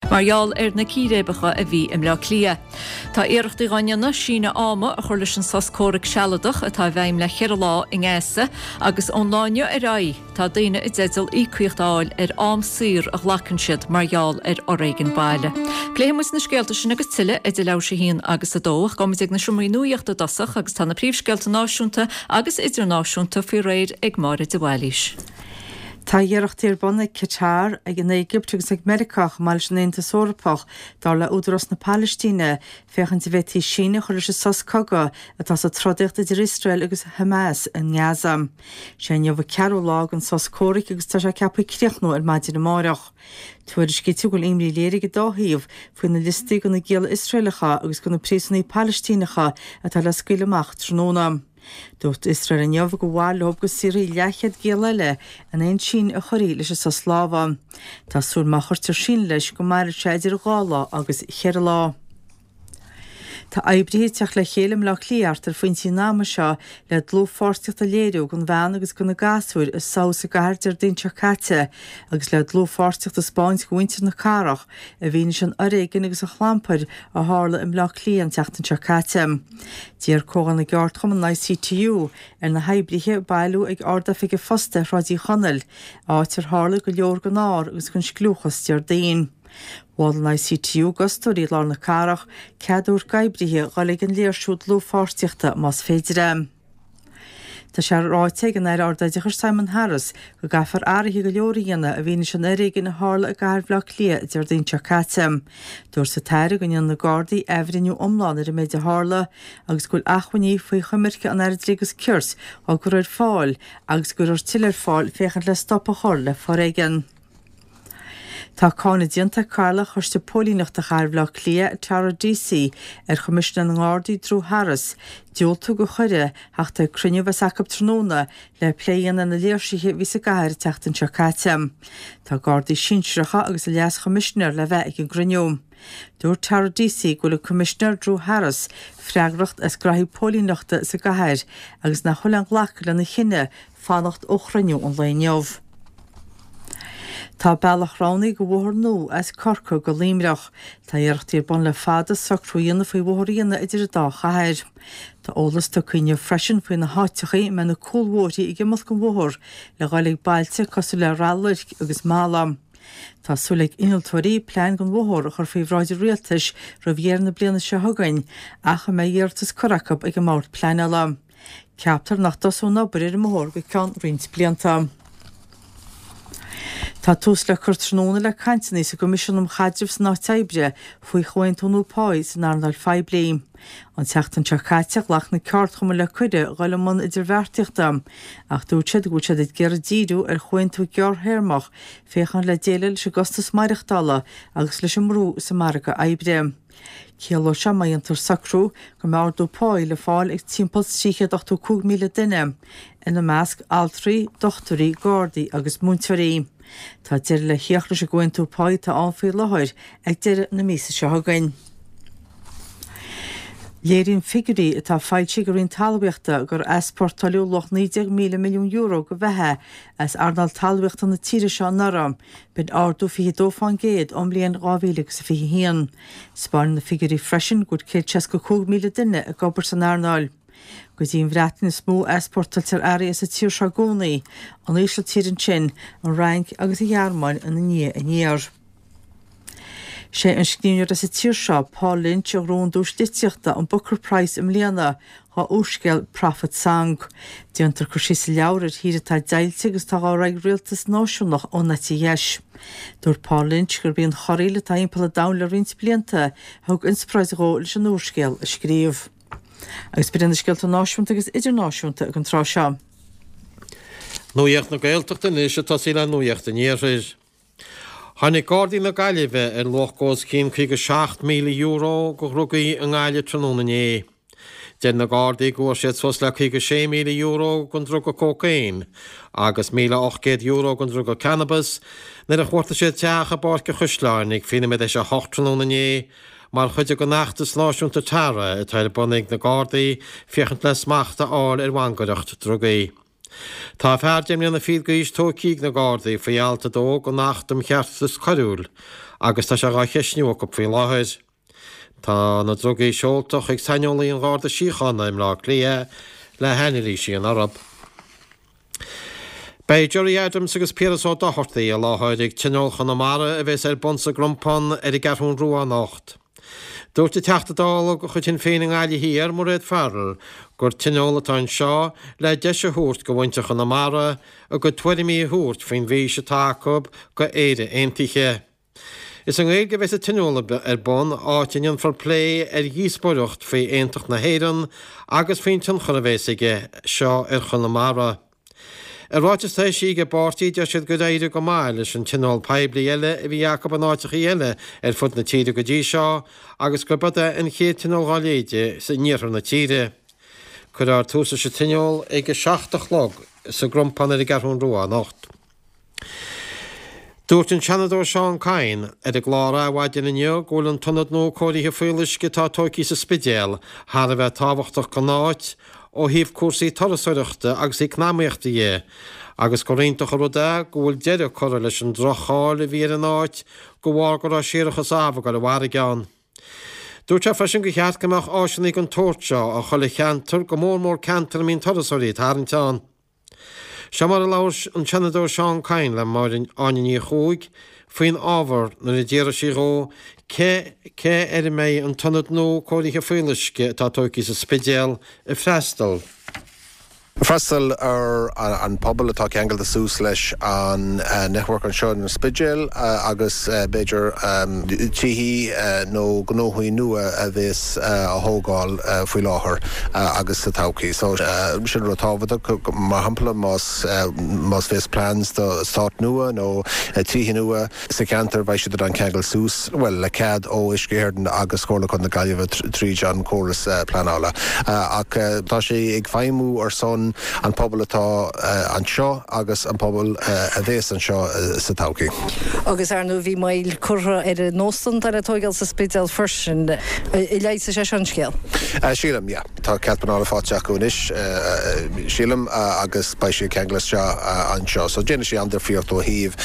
Mar gheall ar na círéibeacha a bhí i mBleá Cliath. Tá iarrachtaí dhá ndéanamh síneadh ama a chur leis an sos comhraic sealadach atá i bhfeidhm le cheithre lá i nGaza agus ón lá inniu ar aghaidh tá daoine i dteideal íocaíocht a fháil ar am saor a ghlacann siad mar gheall ar fhoréigean baile. Pléifidh muid na scéalta sin agus tuilleadh idir leathuair tar éis a haon agus a dó ach gabhfaidh muid ag na seomraí nuaíochta i dtosach agus tá na príomhscéalta náisiúnta agus idirnáisiúnta faoi réir ag Máire de Bhailís. Tá iarrachtaí ar bun ag Qatar, ag an Éigipt agus ag Meiriceá chomh maith leis an Aontas Eorpach, dar le Údarás na Palaistíne, féachaint an bhféadfaí síneadh a chur leis an sos cogaidh atá sa trodaíocht idir Iosrael agus Hamas i nGaza. Sé inniu an ceathrú lá den sos comhraic agus tá sé ceaptha críochnú ar maidin amáireach. Tuairiscítear go bhfuil imní léirithe ag an dá thaobh faoi na liostaí de na gialla Iosraelacha agus de na príosúnaigh Palaistíneacha atá le scaoileadh amach tráthnóna. Dúirt Iosrael inniu gur mhaith leo go saorfaí leathchéad giall eile in aon síneadh a chuirfí leis an sos lámhaigh. Tá súil má chuirtear síneadh leis go mairfidh sé idir dha lá agus cheithre lá. Tá oibrithe ag teacht le chéile i mBleá Cliath thart ar phointí an ama seo le dlúthpháirtíocht a léiriú don bhean agus do na gasúir a sádh sa gcathair Déardaoin seo caite agus le dlúthpháirtíocht a 'spáint do mhuintir na cathrach i bhfianaise an fhoréigin agus an chlampair a tharla i mBleá Cliath an tseachtain seo caite. D'iarr Comhdháil na gCeardchumann, an ICTU, ar na hoibrithe bailiú ag Ard-Oifig an Phosta ar Shráid Uí Chonaill, áit ar tharla go leor den ár agus den scliúchas Déardaoin. Mhol an ICTU d'fhostóirí i lár na cathrach cead a thabhairt d'oibrithe dhul ag an léirsiú dlúthpháirtíochta más féidir é. Tá sé ráite ag an Aire Ardoideachais Simon Harris go gcaithfear athruithe go leor a dhéanamh i bhfianaise an fhoréigin a tharla i gcathair Bhaile Átha Cliath Déardaoin seo caite. Dúirt an tAire go ndéanfaidh na Gardaí athbhreithniú iomlán ar an méid a tharla agus go bhfuil acmhainní faoi choimirce an Aire Dlí agus Cirt á gcur ar fáil agus go gcuirfear tuilleadh ar fáil féachaint le stop a chur le foréigean. Tá cáineadh déanta ag Cathaoirleach Choiste Póilíneachta Chathair Bhaile Átha Cliath, Tara Deasy, ar Choimisinéir na nGardaí Drew Harris, diúltú do chuireadh theacht ag cruinniú a bheas acu tráthnóna le plé a dhéanamh ar na léirsithe a bhí sa gcathair an tseachtain seo caite. Tá Gardaí sinsearacha agus an Leas-Choimisinéir le bheith ag an gcruinniú. Dúirt Tara Deasy go bhfuil an Coimisinéir Drew Harris freagrach as graithí póilíneachta sa gcathair agus nach bhfuil aon ghlacadh lena chinneadh fanacht ó chruinniú an lae inniu. Tá bealach roghnaithe do bhóthar nua as Corcaigh go Luimneach. Tá iarrachtaí ar bun le fada socrú a dhéanamh faoi bhóthar a dhéanamh idir an dá chathair. Tá eolas tugtha inniu freisin faoi na háiteachaí a mbeidh na cúlbhóithrí ag imeacht den bhóthar le dhul ag bailte cosúil le Rath Luirc agus Mala. Tá súil ag innealtóirí plean don bhóthar a chur faoi bhráid an rialtais roimh dheireadh na bliana seo chugainn ach a mbeidh iarratas curtha acu ag an mBord Pleanála. Ceaptar nach dtosóidh an obair ar an mbóthar go ceann roinnt blianta. Tá tús le cur tráthnóna le cainteanna sa gCoimisiún um Chaidreamh san Áit Oibre faoi chomhaontú nua páí san earnáil phoiblí. An tseachtain seo caite ghlac na ceardchumainn le cuireadh dhul i mbun idirbheartaíochta ach dúirt siad go bhfuil siad ag iarraidh díriú ar chomhaontú gearrthéarmach féachaint le déileáil leis an gcostas maireachtála agus leis an mbrú sa margadh oibre. Ciallóidh seo má dhéantar socrú go mbeidh ardú páí le fáil ag timpeall 385,000 duine, ina measc altraí, dochtúirí, gardaí agus múinteoirí. Tá deireadh le theacht leis an gcomhaontú páí atá ann faoi láthair ag deireadh na míosa seo chugainn. Léiríonn figiúirí atá foilsithe ag an Roinn Talmhaíochta gur easpórtáileadh luach €19,000 milliún de bheatha as earnáil talmhaíochta na tíre seo anuraidh, B'in ardú 22% ón mbliain 2021. 'Spáineann na figiúirí freisin go bhfuil 165,000 duine ag obair san earnáil. Go dtí an Bhreatain is mó a easpórtáiltear earraí as an tír seo i gcónaí, an Ísiltír ansin, an Fhrainc agus an Ghearmáin ina ndiaidh aniar. Sé an scríbhneoir as an tír seo, Paul Lynch, a ghnóthaigh an duais litríochta, an Booker Prize i mbliana, dhá úrscéal Prophet Song. Déantar cur síos sa leabhar ar thír atá deighilte agus atá dhá rá ag rialtas náisiúnach ón eite dheis. Dúirt Paul Lynch gurb í an chorraíl atá thimpeall an domhain le roinnt blianta a thug inspioráid dhó leis an úrscéal a scríobh. Agus b'in iad na scéalta náisiúnta agus idirnáisiúnta ag an tráth seo. Nuacht na Gaeltachta anois ag tosaí le Nuacht an Iarthair. Tháinig Gardaí na Gaillimhe ar luach os cionn €57,000 de dhrugaí i nGaillimh tráthnóna inné. Deir na Gardaí go bhfuair siad suas le €56,000 den druga cócaon agus €1,800 den druga cannabas nuair a chuartaigh siad teach i bPáirc an Chaisleáin ag 8:20 tráthnóna inné mar chuid den fheachtas náisiúnta Tara atá ar bun ag na Gardaí féachaint le smacht a fháil ar mhangaireacht drugaí. Tá fear deich mbliana fichead d'aois tógtha ag na Gardaí faoi alt 2 den Acht um Cheartas Coiriúil agus tá sé dhá cheistniú acu faoi láthair. Tá na drugaí seolta chuig saineolaí an Gharda Síochána i mBleá Cliath le hanailís a dhéanamh orthu. Beidh Gerry Adams agus Piaras Ó Dochartaigh i láthair ag Tionól Chonamara a bheas ar bun sa gCrompán ar an gCeathrún Rua anocht. Dúirt an Teachta Dála de chuid Shinn Féin i nGaillimh Thiar, Mairéad Farrell, gur tionól atá anseo le deis a thabhairt do mhuintir Chonamara a gcuid tuairimí a thabhairt faoin bhfís atá acu do Éire Aontaithe. Is i nGaeilge a bheas an tionól ar bun, áit a ndéanfar plé ar dhíospóireacht faoi aontacht na hÉireann agus faoin tionchar a bheas aige seo ar Chonamara. I ráiteas atá eisithe ag an bpáirtí, deir siad gur éirigh go maith leis an tionól poiblí eile a bhí acu in áiteachaí eile ar fud na tíre go dtí seo agus gurb é an chéad tionól dá leithéid in iarthar na tíre. Cuirfear tús leis an tionól ag 7 a chlog sa gCrompán ar an gCeathrún Rua anocht. Dúirt an Seanadóir Seán Kyne ar an gclár Adhmhaidin inniu go bhfuil an t-ionad nua cóirithe fuíolluisce atá tógtha sa Spidéal thar a bheith tábhachtach don áit ó thaobh cúrsaí turasóireachta agus eacnamaíochta dhe agus gur iontach an rud é go bhfuil deireadh curtha leis an droch-cháil a bhí ar an áit de bharr go raibh séarachas amh ag dul i bhfarraige ann. Dúirt sé freisin gur cheart go mbeadh áiseanna den tsórt seo i chuile cheantar, go mór mór ceantair a mbíonn turasóirí ag tarraingt ann. Seo mar a labhair an Seanadóir Seán Kyne le Máire Áine Ní Chuaig faoin ábhar nuair a d'fhiafraigh sí dhó cé cé air a mbeidh an t-ionad nua cóirithe fuíolluisce atá tógtha sa Spidéal ag freastal. Freastal ar an pobal atá ceangailte suas leis an network anseo in Spidéal agus b'fhéidir tithí nó gnóthaí nua a bhéas á thógáil faoi láthair agus sa todhchaí. So sin rud tábhachtach, mar shampla más más bhéas plans do eastát nua nó tithe nua sa cheantar beidh siad in ann ceangal suas, bhuel le cead ó Uisce Éireann agus Comhairle Contae na Gaillimhe tríd an córas pleanála. Ach tá sé ag feidhmiú ar son an pobal atá anseo agus an pobal a bhéas anseo sa todhchaí. Agus ar ndóigh bhí moill curtha ar an óstán atá le tóigeáil sa Spidéal freisin. Leigheasfaidh sé seo an scéal? Sílim, yeah. Tá cead pleanála faighte acu anois, sílim, agus beidh sé ag ceangal isteach anseo. So déanfaidh sé an-difríocht ó thaobh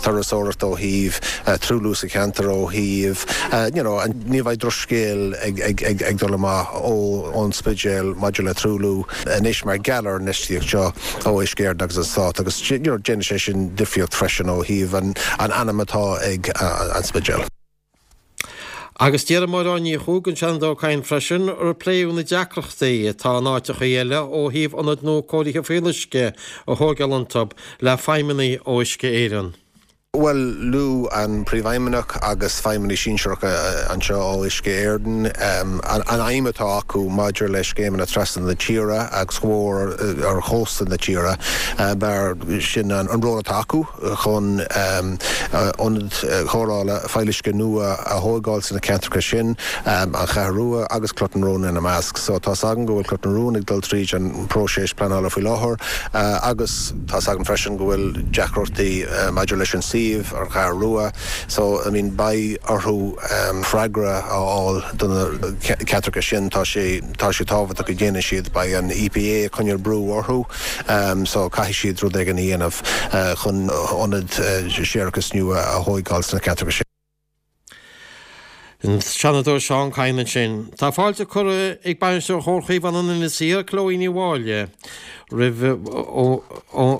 turasóireacht, ó thaobh truailliú sa cheantar, ó thaobh, you know, ní bheidh drochscéal ag dul amach ón Spidéal maidir le truailliú anois mar gheall ar an infheistíocht seo ó Uisce Éireann agus an Stát agus, you know, déanfaidh sé sin difríocht freisin ó thaobh an ainm atá ag an Spidéal. Agus d'iarr Máire Áine Ní Chuaig den Seanadóir Kyne freisin ar pléadh na deacrachtaí atá in áiteachaí eile ó thaobh ionaid nua cóirithe fuíolluisce a thóigeáil iontu le feidhmeannaigh ó Uisce Éireann. Bhuel, luaigh an Príomhfheidhmeannach agus feidhmeannaigh sinsearacha anseo ó Uisce Éireann an aidhm atá acu maidir le scéimeanna trasna na tíre agus go mór ar chósta na tíre mar sin an ról atá acu. chun ionaid chóireála fuíolluisce nua a thóigeáil sna ceantracha sin, An Cheathrú Rua agus Cloch na Rón ina measc. So tá's againn go bhfuil Cloch na Rón ag dul tríd an próiseas pleanála faoi láthair agus tá's againn freisin go bhfuil deacrachtaí maidir leis an suíomh, An Cheathrú Rua. So, I mean, beidh orthu freagra a fháil do na ceantracha sin. Tá sé, tá sé tábhachtach go ndéanfaidh siad, beidh an EPA ag coinneáil brú orthu. So caithfidh siad rud éigin a dhéanamh chun ionad séarachais nua a thóigeáil sna ceantracha sin. An Seanadóir Seán Kyne ansin. Tá fáilte curtha ag Bainisteoir Chomhar Chaomhán in Inis Oírr, Chloe Ní Mháille, roimh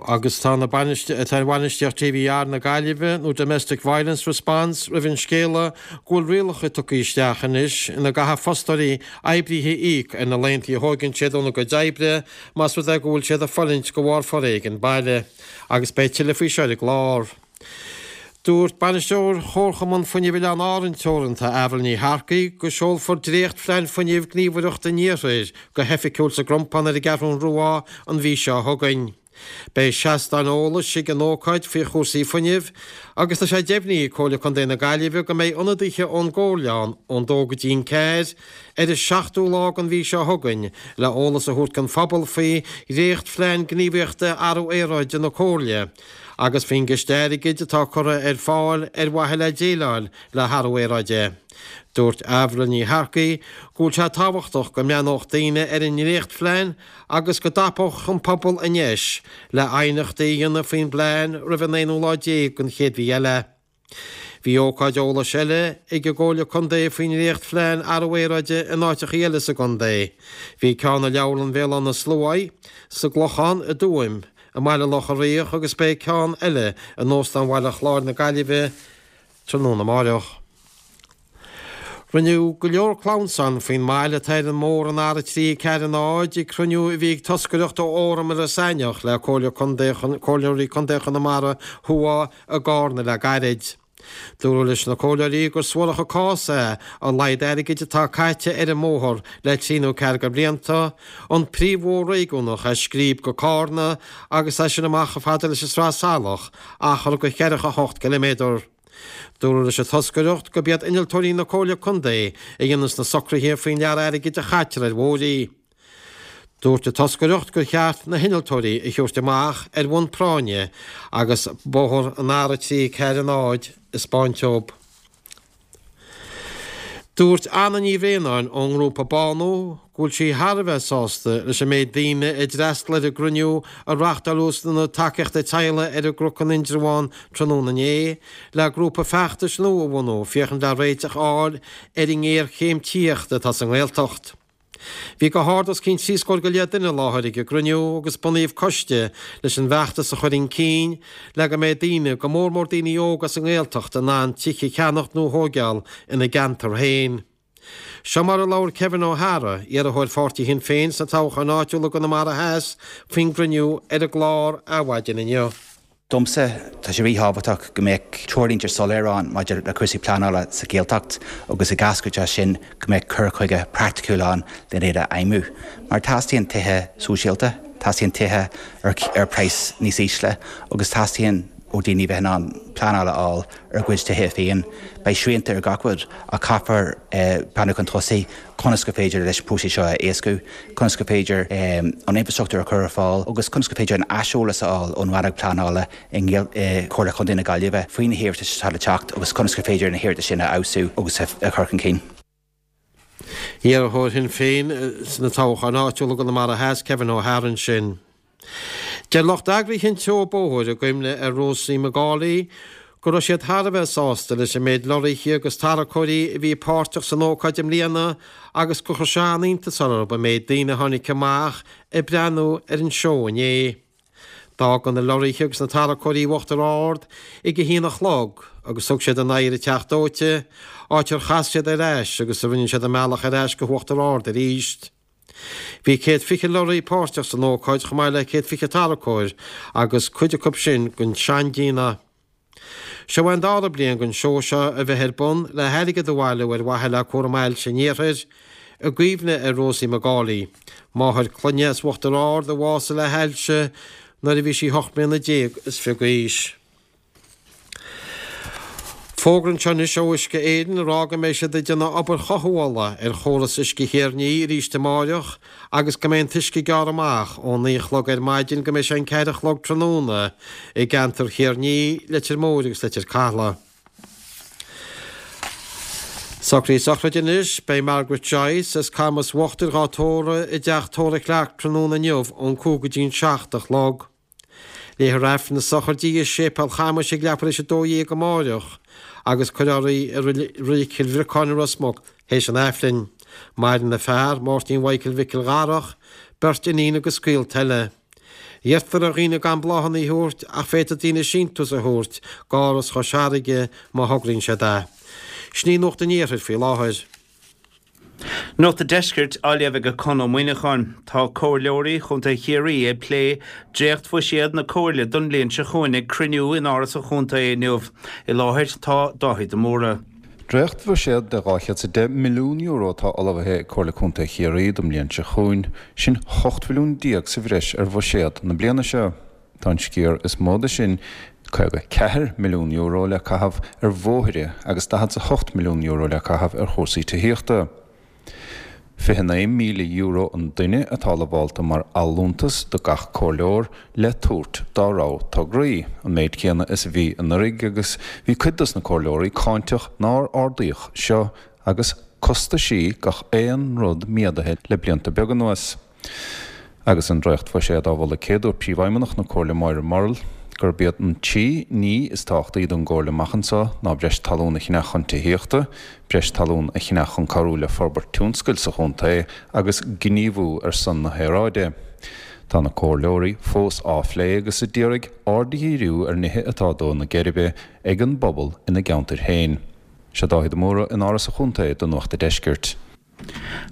agus tá na tá an bhainistíocht DVR na Gaillimhe nó Domestic Violence Response roimh an scéala go bhfuil rialacha tugtha isteach anois ina gcaithfidh fostóirí oibrithe íoc ar na laethanta a thóigeann siad óna gcuid oibre más rud é go bhfuil siad ag fulaingt de bharr foréigean baile, agus beidh tuilleadh faoi seo ar an gclár. Dúirt Bainisteoir Chomharchumann Fuinnimh Oileáin Árann Teoranta, Avril Ní Shearcaigh, go seolfar dréacht-phlean fuinnimh Gníomhaireacht an Iarthair go hoifigiúil sa gCrompán ar an gCeathrún Rua an mhí seo chugainn. Beidh seastán eolais ag an ócáid faoi chúrsaí fuinnimh agus tá sé deimhnithe ag Comhairle Contae na Gaillimhe go mbeidh ionadaithe ón gComhairle ann ón dó go dtí'n ceathair ar an seachtú lá den mhí seo chugainn le eolas a thabhairt don phobal faoi dhréacht-phlean gníomhaíochta athrú aeráide na Comhairle. agus faoin gciste airgid atá curtha ar fáil ar mhaithe le déileáil le hathrú aeráide. Dúirt Avril Ní Shearcaigh go bhfuil sé tábhachtach go mbreathnódh daoine ar an ndréachtphlean agus go dtapódh an pobal an deis le aighneachtaí a dhéanamh faoin bplean roimh an aonú lá déag den chéad mhí eile. Bhí ócáid eolais eile ag an gComhairle Contae faoin ndréachtphlean athrú aeráide in áiteachaí eile sa gcontae. Bhí ceann i Leabharlann Bhéal Átha na Sluaighe, sa gClochán, i dTuaim, i mBaile Locha Riach agus beidh ceann eile in Óstán Bhaile Chláir na Gaillimhe tráthnóna amáireach. Rinneadh go leor clamhsán faoin mbail atá ar an mbóthar an R3 4 0 ag cruinniú a bhí ag toscaireacht ó Fhóram Iorras Aithneach le Comhairle Contae Comhairleoirí Contae Chonamara Thuaidh i gCarna le gairid. Dúradh leis na comhairleoirí gur suarach an cás é a laghad airgid atá caite ar an mbóthar le trí nó ceathair de bhlianta, an príomhbhóthar réigiúnach as Scríb go Cárna agus as sin amach chomh fada leis an Sraith Salach, achar de cheathracha hocht ciliméadar. Dúradh leis an toscaireacht gurb iad innealtóirí na Comhairle Contae a dhéanas na socruithe faoin lear airgid a chaitear ar bhóithrí. Dúirt an toscaireacht gur cheart na hinnealtóirí a thabhairt amach ar bhonn práinne agus bóthar an R3 4 0 a 'spáint dóibh. Dúirt Anna Ní Bhraonáin ón ngrúpa Bánú go bhfuil sí thar a bheith sásta leis an méid daoine a d'fhreastail ar an gcruinniú a reáchtáladh san Ionad Tacaíochta Teaghlaigh ar an gCnoc in Indreabhán tráthnóna inné le grúpa feachtais nua a bhunú féachaint le réiteach a fháil ar an ngéarchéim tithíochta atá sa nGaeltacht. Bhí go hard os cionn trí scór go leith duine i láthair ag an gcruinniú agus bunaíodh coiste leis an bhfeachtas a chur chun cinn le go mbeidh daoine, go mór mór daoine óga sa nGaeltacht, in ann tithe a cheannacht nó a thóigeáil ina gceantar féin. Seo mar a labhair Kevin Ó hEadhra, iarrthóir pháirtí Shinn Féin sna toghcháin áitiúla i gConamara Theas, faoin gcruinniú ar an gclár Adhmhaidin inniu. Domsa, tá sé ríthábhachtach go mbeadh treoirlínte soiléir ann maidir le cúrsaí pleanála sa Ghaeltacht agus ag eascairt as sin go mbeadh cur chuige praiticiúil ann lena iad a fheidhmiú. Mar teastaíonn tithe sóisialta, teastaíonn tithe ar ar praghas níos ísle agus teastaíonn ó daoine bheith in ann pleanáil a fháil ar a gcuid tithe féin. Beidh srianta ar gach rud ach caithfear breathnú chun tosaigh conas gur féidir leis an próiseas seo a éascú, conas gur féidir an infreastruchtúr a chur ar fáil agus conas gur féidir an aiseolas a fháil ón rannóg pleanála i gComhairle Chontae na Gaillimhe faoi na hiarratais atá le teacht agus conas gur féidir na hiarratais sin a fheabhsú agus a chur chun cinn. Iarrthóir Shinn Féin sna toghcháin áitiúla i gConamara Theas, Kevin Ó hEadhra ansin. Deir lucht eagraithe an tseó bóthair i gcuimhne ar Rosie McGauley go raibh siad thar a bheith sásta leis an méid lorraithe agus tarracóirí a bhí páirteach san ócáid i mbliana agus gur chuir sé an-iontas orthu an méid daoine a tháinig amach ag breathnú ar an seó inné. D'fhága na lorraithe agus na tarracóirí Uachtar Ard ag a haon a chlog agus thug siad a n-aghaidh ar an Teach Dóite, áit ar chas siad ar ais agus a rinne siad a mbealach ar ais go hUachtar Ard arís. Bhí 120 lorraí páirteach san ócáid chomh maith le 120 tarracóir agus cuid acu sin den seandéanamh. Seo é an dara bliain don seó seo a bheith ar bun le hairgead a bhailiú ar mhaithe le cúram ailse an iarthair, i gcuimhne ar Rosie McGauley, máthair clainne as Uachtar Ard a bhásaigh le hailse nuair a bhí sí 18 mbliana is fiche d'aois. Fógra anseo anois ó Uisce Éireann ag rá go mbeidh siad ag déanamh obair chothabhála ar chóras uisce Thír an Fhia arís amáireach agus go mbeidh an t-uisce gearrtha amach ón 9 a chlog ar maidin go mbeidh sé an 4 a chlog tráthnóna i gceantar Thír an Fhia, Leitir Móir agus Leitir Cathlaigh. Socruithe sochraide anois, beidh Margaret Joyce as Camas Uachtair dhá tórramh i dteach tórraimh Clarke tráthnóna inniu ón 5 go dtí an 7 a chlog. Léifear Aifreann na sochraide i Séipéal Chamais ag leathuair théis 12 amáireach agus cuirfear í i Reilig Chill Bhriocáin i Ros Muc théis an Aifrinn. Maireann a fear, Máirtín Mhichael Mhicil Dharach, beirt iníon agus gaolta eile. Iarrtar ar dhaoine gan bláthanna a thabhairt ach féadfaidh daoine síntiús a thabhairt d'Áras Chois Fharraige má thograíonn siad é. Sin í Nuacht an Iarthair faoi láthair. Nuacht an Deiscirt á léamh ag Conn Ó Muíneacháin. Tá Comhairleoirí Chontae Chiarraí ag plé dréacht-bhuiséad na Comhairle don bhliain seo chugainn ag cruinniú in Áras an Chontae inniu. I láthair tá Dáithí de Mórdha. Dréacht-bhuiséad de €210 milliún atá ullmhaithe ag Comhairle Contae Chiarraí don mbliain seo chugainn, sin 18 mhilliún sa bhreis ar bhuiséad na bliana seo. Tá an sciar is mó de sin, €54 milliún, le caitheamh ar bhóithre agus €48 milliún le caitheamh ar chúrsaí tithíochta. €29,000 an duine atá lamhálta mar allúntas do gach comhairleoir le tabhairt dá rogha tograí, an méid céanna is a bhí anuraidh agus bhí cuid dos na comhairleoirí cáinteach nár ardaíodh seo agus costaisí gach aon rud méadaithe le blianta beaga anuas. Agus an dréachtbhuiséad á mholadh céaduair Príomhfheidhmeannach na Comhairle Máire Murrell gurb iad an trí ní is tábhachtaí don gComhairle amach anseo ná breis talún a cheannach chun tithíochta, breis talún a cheannach chun cabhrú le forbairt tionscail sa chontae agus gníomhú ar son na haeráide. Tá na comhairleoirí fós á phlé agus a d'iarraidh aird a dhíriú ar nithe atá ag dó na geirbe ag an bpobal ina gceantair féin. Seo Dáithí de Mórdha in Áras an Chontae do Nuacht a' Deiscirt.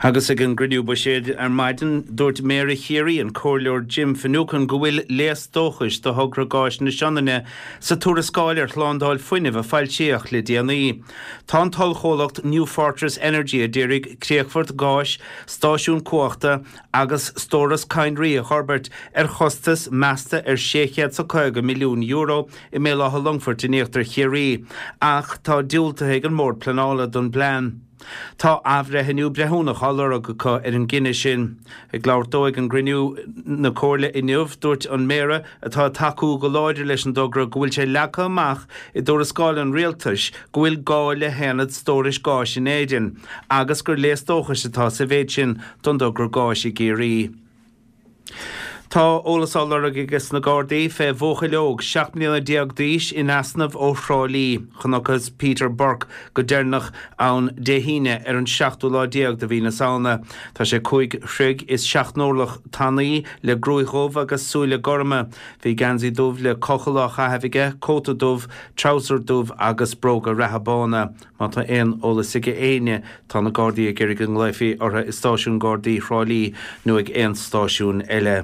Agus ag an gcruinniú buiséid ar maidin, dúirt Méara Chiarraí, an Comhairleoir Jim Finucane, go bhfuil léas dóchais do thogra gáis na Sionainne sa tuarascáil ar shlándáil fuinnimh a foilsíodh le déanaí. Tá an t-ollchomhlacht New Fortress Energy a d'iarraidh críochfort gáis, stáisiún cumhachta agus stóras cadhnraí a fhorbairt ar chostas measta ar €650 milliún i mBéal Átha Longfoirt in íochtar Chiarraí, ach tá diúltaithe ag an mBord Pleanála don bplean. Tá athbhreithniú breithiúnach á lorg acu ar an gcinneadh sin. Ag labhairt dó ag an gcruinniú na Comhairle inniu, dúirt an Méara, atá ag tacú go láidir leis an dtogra, go bhfuil sé leagtha amach i dtuarascáil an Rialtais go bhfuil gá le haonad stórais gáis in Éirinn agus gur léas dóchais atá sa mhéid sin don dtogra gáis i gCiarraí. Tá eolas á lorg ages na Gardaí fé bhuachaill óg 17 mbliana d'aois in easnamh ó Thrá Lí. Chonacthas Peter Burke go deireanach ann Dé hAoine ar an seachtú lá déag de mhí na Samhna. Tá sé 5 throigh is 7 n-orlach tanaí le gruaig dhubh agus súile gorma. Bhí geansaí dubh le cochall á chaitheamh aige, cóta dubh, treabhsar dubh agus bróga reatha bána. Má tá aon eolas ag éinne, tá na Gardaí ag iarraidh go nglaofaí orthu i Stáisiún Gardaí Thrá Lí nó ag aon stáisiún eile.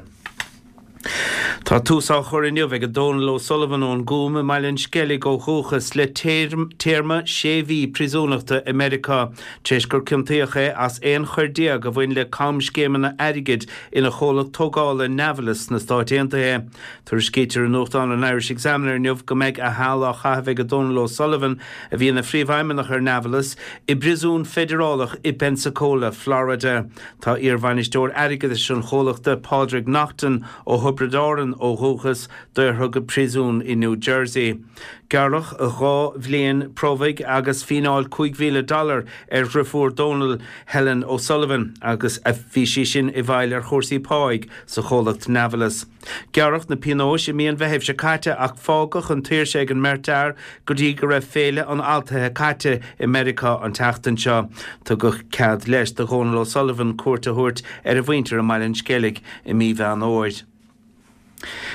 Tá tús á chur inniu ag Donal O'Sullivan ón gCúm i mBaile an Sceilg ó dhúchas le téarma sé mhí príosúnachta i Meiriceá tar éis gur ciontaíodh é as 11 choir a bhain le camscéimeanna airgid ina chomhlacht tógála Navalis sna Stáit Aontaithe. Tuairiscítear i nuachtán an Irish Examiner inniu go mbeidh a sheal á chaitheamh ag Donal O'Sullivan a bhí ina phríomhfheidhmeannach ar Navalis, i bpríosún feidearálach i bPensacola, Florida. Tá iarbhainisteoir airgeadais an chomhlachta, Pádraig Naughton, ó Thiobraid Árann ó dhúchas, daortha go príosún i New Jersey. Gearradh 2 bhliain promhaidh agus fíneáil 5,000 dollar ar dhriofúr Donal, Helen O'Sullivan, agus bhí sí sin i bhfeighil ar chúrsaí páigh sa chomhlacht Navalis. Gearradh na pionóis i mí an Mheithimh seo caite ach fágadh an tsaoirse ag an mbeirt fhear go dtí go raibh Féile an Altaithe caite i Meiriceá an tseachtain seo. Tugadh cead leis do Dhónal O'Sullivan cuairt a thabhairt ar a mhuintir i mBaile an Sceilg i mí Mheán Fhómhair.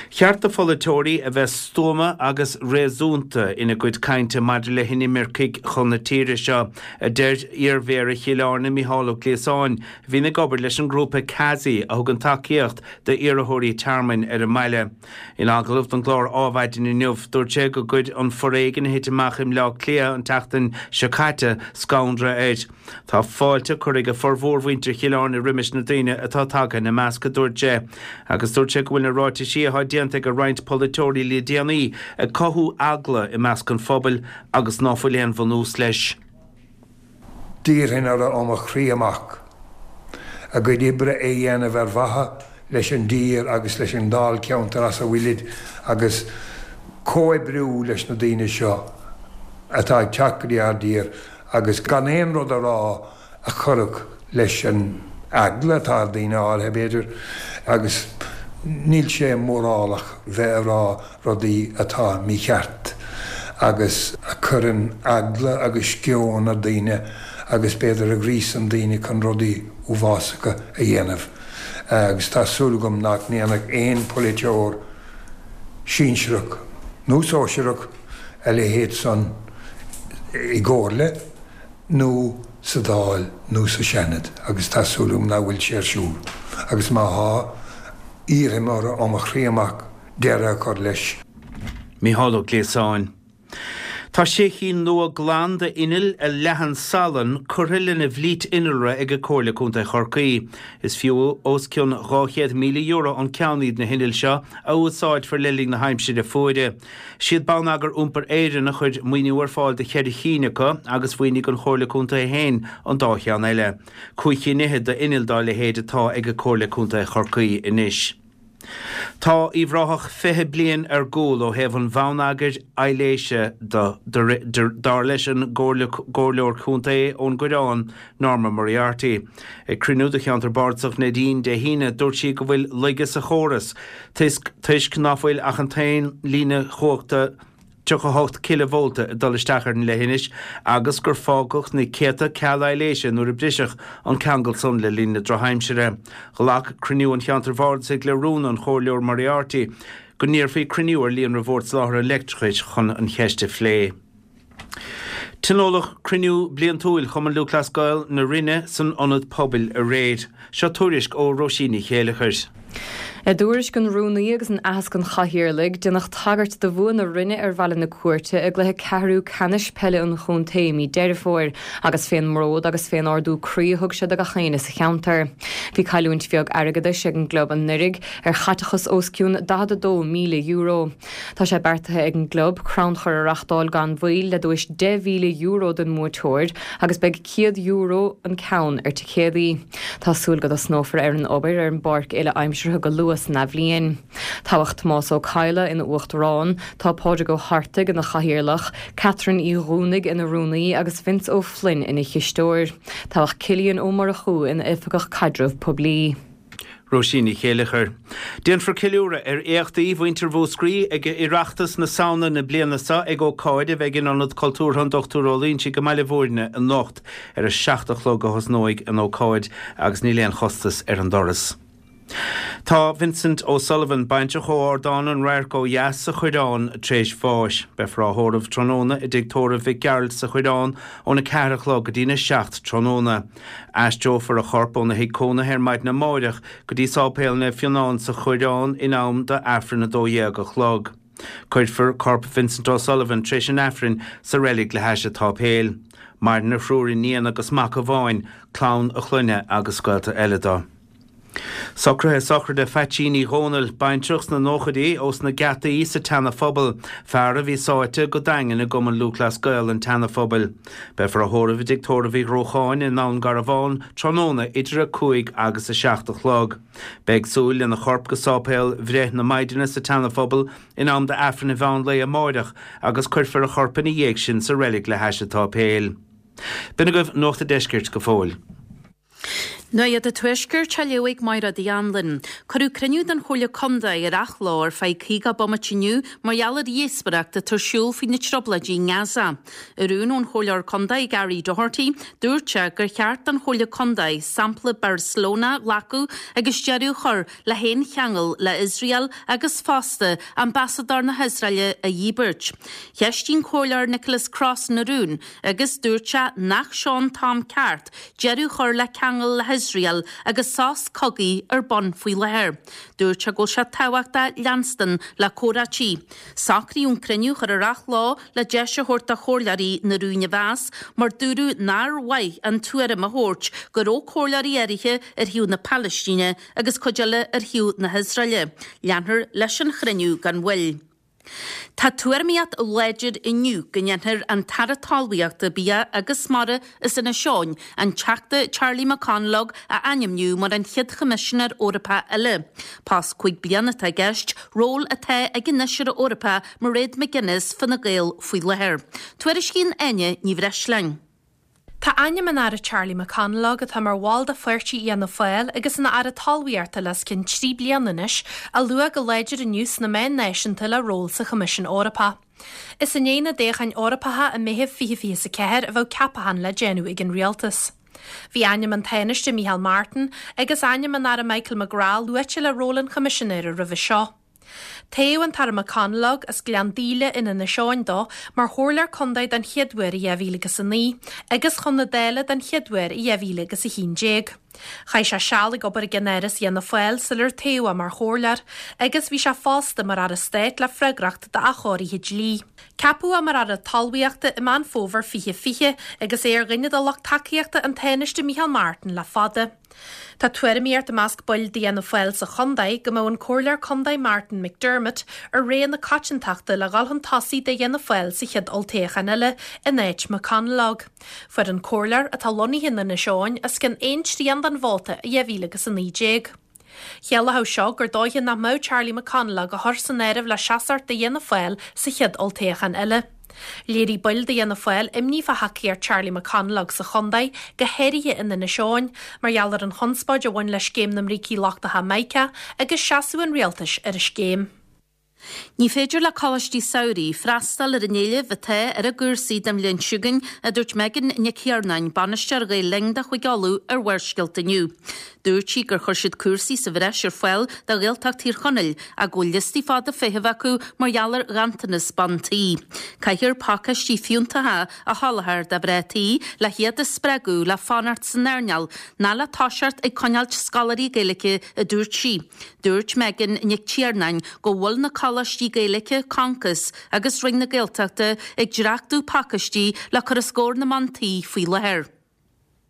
Cheart do pholaiteoirí a bheith stuama agus réasúnta ina gcuid cainte maidir le hinimircigh chun na tíre seo, a deir iarMhéara Chill Airne Mícheál Ó Gliasáin, a bhíonn ag obair leis an ngrúpa CASI a thugann tacaíocht d'iarrthóirí tearmainn ar an mbaile. In agallamh don gclár Ádhmhaidin inniu, dúirt sé go gcuir an foréigean a thit amach i mBleá Cliath an tseachtain seo caite scanradh air. Tá fáilte curtha ag formhór mhuintir Chill Airne roimis na daoine atá tagtha ina measc, a dúirt sé. Agus dúirt sé go bhfuil na ráitisí atá déanta ag roinnt polaiteoirí le déanaí ag cothú eagla i measc an phobail agus ná fuil aon bhunús leis. D'iarrfainn orthu ó mo chroí amach a gcuid oibre a dhéanamh ar mhaithe leis an dtír agus leis an dáilcheantar as a bhfuilid agus comhoibriú leis na daoine seo atá ag teacht go dtí ár dtír agus gan aon rud a rá a chuirfeadh leis an eagla atá ar daoine áirithe, b'fhéidir, agus níl sé mórálach bheith ag rá rudaí atá mícheart agus a chuireann eagla agus sceon ar daoine agus b'fhéidir a ghríosann daoine chun rudaí uafásacha a dhéanamh agus tá súil agam nach ndéanfadh aon pholaiteoir sinsearach nó sóisearach a leithéid san i gcomhairle nó sa Dáil nó sa Seanad agus tá súil agam nach bhfuil sé ar siúl agus má thá, iarraim orthu ó mo chroí amach deireadh a chur leis. Mícheál Ó Gliasáin. Tá sé chinn nua glan d'innill a leathann salann curtha lena bhflít innealra ag Comhairle Contae Chorcaí. Is fiú os cionn €200,000 an ceann iad na hinnill seo a úsáidfear le linn na haimsire fuaire. Siad Bonneagar Iompair Éireann a chuir maoiniú ar fáil do cheithre chinn acu agus mhaoinigh an Chomhairle Contae féin an dá cheann eile. Cúig chinn fhichead d'innill dá leithéid atá ag Comhairle Contae Chorcaí anois. Tá Uíbh Ráthach 20 bliain ar gcúl ó thaobh an bhonneagair aibhléise de, dar leis an gComhairleoir Contae ón gCoireán, Norma Moriarty. Ag cruinniú do Cheantar Bardasach Neidín Dé hAoine, dúirt sí go bhfuil laige sa chóras toisc ná fuil ach an t-aon líne chumhachta 38 cileavólta ag dul isteach ar an leithinis agus gur fágadh na céadta ceall aibhléise nuair a briseadh an ceangal san le linn na drochaimsire. Ghlac cruinniú an Cheantair Bhardasaigh le rún an Chomhairleoir Moriarty go n-iarrfaí cruinniú ar Líonra Bhord Soláthair an Leictreachais chun an cheist a phlé. Tionóladh cruinniú bliantúil Chumann Lúthchleas Gael na Rinne san Ionad Pobail aréir. Seo tuairisc ó Róisín Ní Chéileachair. I dtuairisc an Rúnaí agus in aitheasc an Chathaoirligh, déanadh tagairt do bhua na Rinne ar Bhaile na Cúirte i gcluiche ceathrú ceannais peile an chontae i mí Deireadh Fómhair agus fén mbród agus fén ardú croí a thug sé do gach éinne sa cheantar. Bhí cailliúint bheag airgeadais ag an gclub anuiridh ar chaiteachas os cionn €42,000. Tá sé beartaithe ag an gclub crannchur a reachtáil gan mhoill le duais €10,000 don mbuaiteoir agus beidh €100 an ceann ar ticéadaí. Tá súil go dtosnófar ar an obair ar an bpáirc uile-aimseartha go luath san athbhliain. Toghadh Tomás Ó Cadhla ina Uachtarán, tá Pádraig Ó hArtaigh ina Chathaoirleach, Catherine Uí Dhúnaigh ina Rúnaí agus Vince Ó Floinn ina Chisteoir. Toghadh Cillian Ó Murchú ina Oifigeach Caidreamh Poiblí. Róisín Ní Chéileachair. Déanfar ceiliúradh ar éachtaí mhuintir Mhúscraí ag Oireachtas na Samhna na bliana seo ag ócáid a bheidh in Ionad Cultúrtha an Dr Ó Loingsigh i mBaile Bhúirne anocht. Ar a 7 a chlog a thosnóidh an ócáid agus níl aon chostas ar an doras. Tá Vincent O'Sullivan, baintreach ó Ardán an Radhairc ó dheas sa Choireán, tar éis bháis. Beifear á thórramh tráthnóna i dTigh Tórraimh Mhic Gearailt sa Choireán óna 4 a chlog go dtína 7 tráthnóna. Aistreofar a chorp óna thigh cónaithe ar maidin amáireach go dtí Sáipéal Naomh Fionán sa Choireán in am do Aifreann 12 a chlog. Cuirfear corp Vincent O'Sullivan tar éis an Aifrinn sa reilig le hais an tsáipéil. Maireann a thriúr iníon agus mac amháin, clann a chlainne agus gaolta eile dó. Socruithe sochraide Phaitsín Uí Dhónaill, baintreach sna nóchaidí ós na Geataí sa tSeana Phobal, fear a bhí sáite go daingean i gCumann Lúthchleas Gael an tSeana Phobail. Beifear á thórramh i dTigh Tórraimh Uí Ghruacháin i nDún Garbhán tráthnóna idir 5 agus 7 a chlog. Beidh súil lena chorp go Sáipéal Bhreith na Maighdine sa tSeana Phobal in am d'Aifreann an mheán lae amáireach agus cuirfear a chorp ina dhiaidh sin sa reilig le hais an tsáipéil. B'in agaibh Nuacht a' Deiscirt go fóill. Nuacht an Tuaiscirt á léamh ag Máire Uí Anluain. Cuireadh cruinniú den Chomhairle Contae ar athló ar feadh 50 bomaite inniu mar gheall ar dhíospóireacht atá ar siúl faoi na trioblóidí i nGaza. I rún ón Chomhairleoir Contae Gary Doherty, dúirt sé gur cheart don Chomhairle Contae sampla Barcelona a ghlacadh agus deireadh a chur le haon cheangal le Iosrael agus fosta ambasadóir na hIosraeile a dhíbirt. Cheistigh an Comhairleoir Nicholas Crossan an rún agus dúirt sé nach seo an t-am ceart deireadh a chur le ceangal le hIosrael agus sos cogaidh ar bun faoi láthair. Dúirt sé go bhfuil sé tábhachtach leanstan le comhráití. Socraíodh an cruinniú a chur ar athló le deis a thabhairt do chomhairleoirí na rúin a mheas mar dúradh nár mhaith an tuairim a thabhairt go raibh comhairleoirí áirithe ar thaobh na Palaistíne agus cuid eile ar thaobh na hIosraeile. Leanfar leis an chruinniú gan mhoill. Tá tuairimíocht láidir inniu go ndéanfar an tAire Talmhaíochta, Bia agus Mara as Inis Eoghain, an Teachta Charlie McConalogue a ainmniú mar an chéad Choimisinéir Eorpach eile. Post 5 bliana atá i gceist, ról atá ag an Fheisire Eorpach Mairead McGuinness Fine Gael faoi láthair. Tuairiscíonn Áine Ní Bhreisleáin. Tá ainm an Aire Charlie McConalogue, atá mar bhall de pháirtí Fhianna Fáil agus ina Aire Talmhaíochta le os cionn 3 bliana anois, á lua go láidir inniu sna meáin náisiúnta le ról sa Choimisiún Eorpach. Is i ndiaidh na dtoghchán Eorpacha i Meitheamh 2024 a bheadh ceapachán le déanamh ag an Rialtas. Bhí ainm an Tánaiste Micheál Martin agus ainm an Aire Michael McGrath luaite le ról an Choimisinéara roimhe seo. Toghadh an tAire McConalogue, as Gleann Daoile in Inis Eoghain dó, mar chomhairleoir contae den chéad uair i 2009 agus chun na Dála den chéad uair i 2011. Chaith sé seal ag obair i gceannáras Fhianna Fáil sular toghadh é mar chomhairleoir agus bhí sé fosta mar Aire Stáit le freagracht d'athchóirithe dlí. Ceapadh é mar Aire Talmhaíochta i Meán Fómhair 2020 agus é ar dhuine de lucht tacaíochta an Tánaiste Micheál Martin le fada. Tá tuairimíocht i measc baill d'Fhianna Fáil sa chontae go mbeadh an Comhairleoir Contae Martin McDermott ar rogha na coitiantachta le dhul chun tosaigh d'Fhianna Fáil sa chéad olltoghchán eile in áit McConalogue. Fuair an comhairleoir, atá lonnaithe in Inis Eoghain, os cionn aon trian den vóta i 2019. Chiallódh seo gur dóiche nach mbeadh Charlie McConalogue á chur san áireamh le seasacht do Fhianna Fáil sa chéad olltoghchán eile. Léirigh baill d'Fhianna Fáil imní fá thacaíocht Charlie McConalogue sa chontae, go háirithe in Inis Eoghain, mar gheall ar an chonspóid a bhain le scéim na mbrící lochtacha Mica agus seasamh an rialtais ar an scéim. Ní féidir le coláistí samhraidh freastal ar an éileamh atá ar a gcúrsaí don bhliain seo chugainn, a dúirt Megan Nic Thiarnáin, bainisteoir Ghael Linn do Chúige Uladh ar Bharrscéalta inniu. Dúirt sí gur chuir siad cúrsaí sa bhreis ar fáil do Ghaeltacht Thír Chonaill ach go bhfuil liostaí fada feithimh acu mar gheall ar ghanntanas ban tí. Caithfear pacáistí fiúntacha a sholáthar do mhná tí le hiad a spreagadh le fanacht san earnáil ná le toiseacht ag coinneáilt scoláirí Gaeilge, a dúirt sí. Dúirt Megan Nic Tiarnáin go bhfuil na coláistí Gaeilge, Concos agus Roinn na Gaeltachta ag dréachtú pacáistí le cur os comhair na mban tí faoi láthair.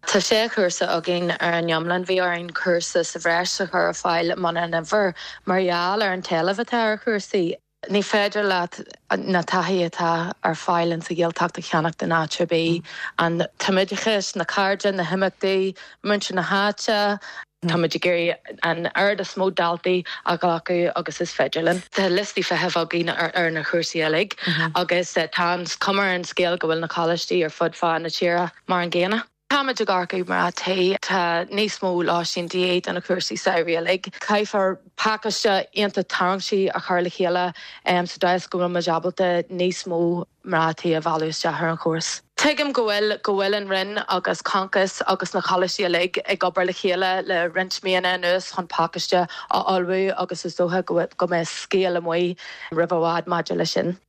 Tá sé chúrsa againn ar an iomlán. Bhí orainn cúrsa sa bhreis a chur ar fáil i mbun an Fhómhair mar gheall ar an t-éileamh atá ar chúrsaí. Ní féidir leat na taithí atá ar fáil insa Ghaeltacht a cheannacht in áit ar bith. An tumoideachas, na cairde, na himeachtaí, muintir na háite. Táimid ag iarraidh an oiread is mó daltaí a ghlacadh agus is féidir linn. Tá liostaí feithimh againn ar na chúrsaí uilig agus tá an chuma ar an scéal go bhfuil na coláistí ar fud fad na tíre mar an gcéanna. Táimid ag earcú mná tí. Tá níos mó lóistín de dhíth do na cúrsaí samhraidh uilig. Caithfear pacáiste iontach tarraingteach a chur le chéile sa dóigh is go bhfuil muid ábalta níos mó mná tí a mhealladh isteach ar an chóras. Tuigim go bhfuil go bhfuil an Roinn agus Concos agus na coláistí uilig ag obair le chéile le roinnt míonna anuas chun pacáiste a ullmhú agus is dócha go mbeidh scéal amuigh roimh i bhfad maidir leis sin.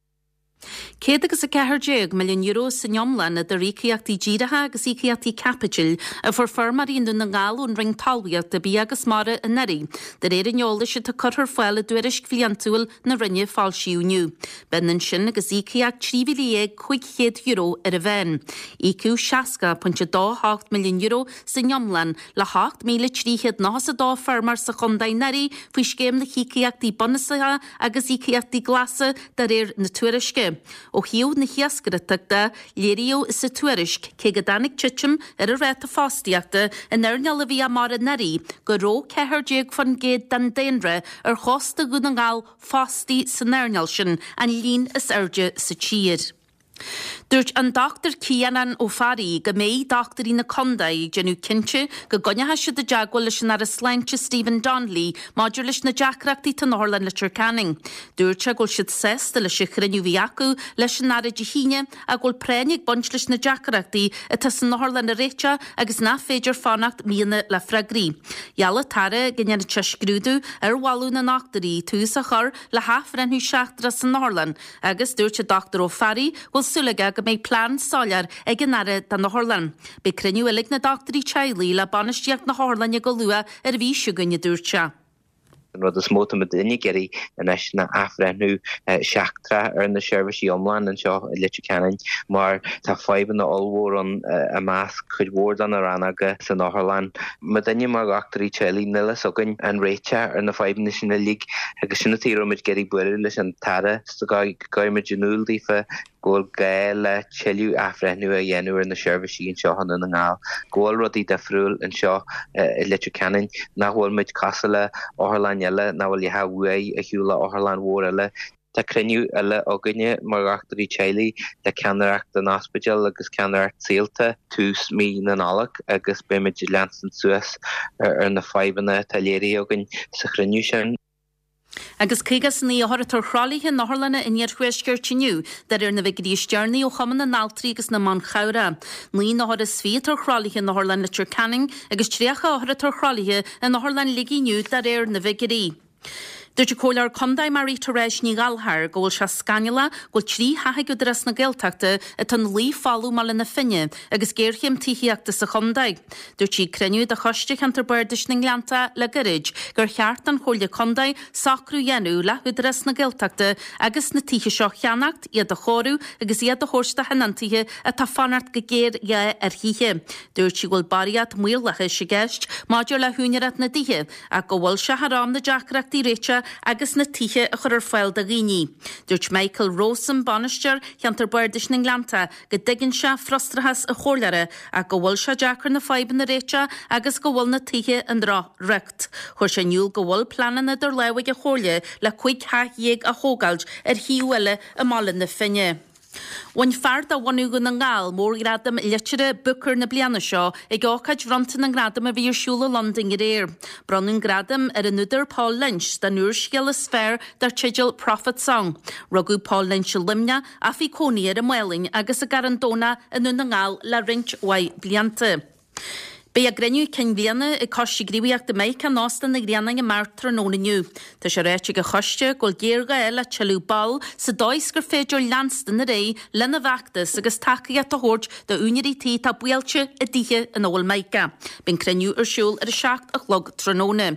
€114 milliún san iomlán idir íocaíochtaí díreacha agus íocaíochtaí caipitil a fuair feirmeoirí i nDún na nGall ón Roinn Talmhaíochta, Bia agus Mara anuraidh, de réir an eolais atá curtha ar fáil i dtuairisc bhliantúil na Roinne a foilsíodh inniu. B'ionann sin agus íocaíocht €13,500 ar an mheán. Íocadh €60.28 milliún san iomlán le 8,392 feirmeoir sa chontae anuraidh faoi Scéim na hÍocaíochtaí Bunúsacha agus Íocaíochtaí Glasa de réir na tuairisce. Ó thaobh na hiascaireachta de, léiríodh sa tuairisc, cé go dtáinig titim ar an ráta fostaíochta in earnáil an bhia mara anuraidh, go raibh 14% den daonra ar chósta Dhún na nGall fostaithe san earnáil sin, an líon is airde sa tír. Dúirt an Dr Ciarán Ó Fearraigh go mbeidh dochtúirí na contae ag déanamh cinnte go gcoinneoidh siad i dteagmháil leis an Aire Sláinte Stephen Donnelly maidir leis na deacrachtaí atá in Otharlann Leitir Ceanainn. Dúirt sé go bhfuil siad sásta leis an chruinniú a bhí acu leis an Aire Dé hAoine ach go bhfuil práinn ag baint leis na deacrachtaí atá san otharlann a réiteach agus nach féidir fanacht míonna le freagraí. Gheall an tAire go ndéanfadh sé scrúdú ar mholadh na ndochtúirí tús a chur le hathbhreithniú seachtrach san otharlann Agus dúirt an Dr Ó Fearraigh go bhfuil súil aige go mbeidh plean soiléir ag an Aire don otharlann. Beidh cruinniú eile ag na dochtúirí teaghlaigh le bainistíocht na hotharlainne go luath ar an mhí seo chugainn, a dúirt sé. An rud is mó atá muidinne ag iarraidh anois ná athbhreithniú seachtrach ar na seirbhísí iomlán anseo i Leitir Ceanainn mar tá fadhbanna ollmhór ann i measc cuid mhór de na rannóga san otharlann. Muidinne mar dhochtúirí teaghlaigh níl a fhios againn an réiteach ar na fadhbanna sin uilig agus sin an tuige a raibh muid ag iarraidh bualadh leis an tAire go gcuirfidh muid in iúl daofa go bhfuil gá le tuilleadh athbhreithniú a dhéanamh ar na seirbhísí anseo i nDún na nGall, go bhfuil rudaí difriúil anseo i Leitir Ceanainn, nach bhfuil muid cosúil le otharlann eile, nach bhfuil a dhath uaidh ar shiúl le otharlann mhór eile. Tá cruinniú eile againne mar dhochtúirí teaghlaigh le ceannaireacht an ospidéil agus ceannaireacht Saolta tús mí na Nollag agus beimid ag leanstan suas ar na fadhbanna atá léirithe againn sa chruinniú sin. Agus 59 othar atá ar thralaithe in otharlanna an iarthuaiscirt inniu, de réir na bhfigiúirí is deireanaí ó Chumann na nAltraí agus na mBan Chabhrach. 9 n-othar is 20 atá ar thralaithe in Otharlann Leitir Ceanainn agus 30 othar atá ar thralaithe in Otharlann Shligigh inniu, de réir na bhfigiúirí. Dúirt an Comhairleoir Contae Marie Therese Ní Ghallchóir go bhfuil sé scannalach go bhfuil 3 theach ag Údarás na Gaeltachta atá ina luí folamh i mBaile na Finne agus géarchéim tithíochta sa chontae. Dúirt sí ag cruinniú de Choiste Cheantar Bardais na nGleanntach le gairid gur cheart don Chomhairle Contae socrú a dhéanamh le hÚdarás na Gaeltachta agus na tithe seo a cheannacht, iad a chóiriú agus iad a thabhairt do thionóntaithe atá ag fanacht go géarghá ar thithe. Dúirt sí go bhfuil barraíocht maorlathais i gceist maidir le húinéireacht na dtithe ach go bhfuil sé thar am na deacrachtaí a réiteach agus na tithe a chur ar fáil do dhaoine. Dúirt Michael Rowsome, Bainisteoir Cheantar Bardais na nGleanntach, go dtuigeann sé frustrachas an chomhairleora ach go bhfuil sé deacair na fadhbanna a réiteach agus go bhfuil na tithe i ndroch-riocht. Chuir sé in iúl go bhfuil pleananna idir lámha ag an Chomhairle le 15 theach a thógáilt ar shuíomh eile i mBaile na Finne. Bhain fear de bhunadh Dhún na nGall mórghradam liteartha Booker na bliana seo ag ócáid bhronnta na ngradam a bhí ar siúl i Londain aréir. Bronnadh an gradam ar an údar Paul Lynch don úrscéal is fearr dar teideal Prophet Song. Rugadh Paul Lynch i Luimneach ach bhí cónaí air i Málainn agus i gCarn Domhnach i nDún na nGall le roinnt mhaith blianta. Beidh a gcruinniú cinn bhliana ag Coiste Gníomhaíochta Mica in Óstán an Ghrianáin amárach tráthnóna inniu. Tá sé ráite ag an choiste go bhfuil géarghá le tuilleadh ball sa dóigh is gur féidir leanstan ar aghaidh lena bhfeachtas agus tacaíocht a thabhairt d'úinéirí tí atá buailte i dtithe ina bhfuil Mica. Beidh an cruinniú ar siúl ar 7 a chlog tráthnóna.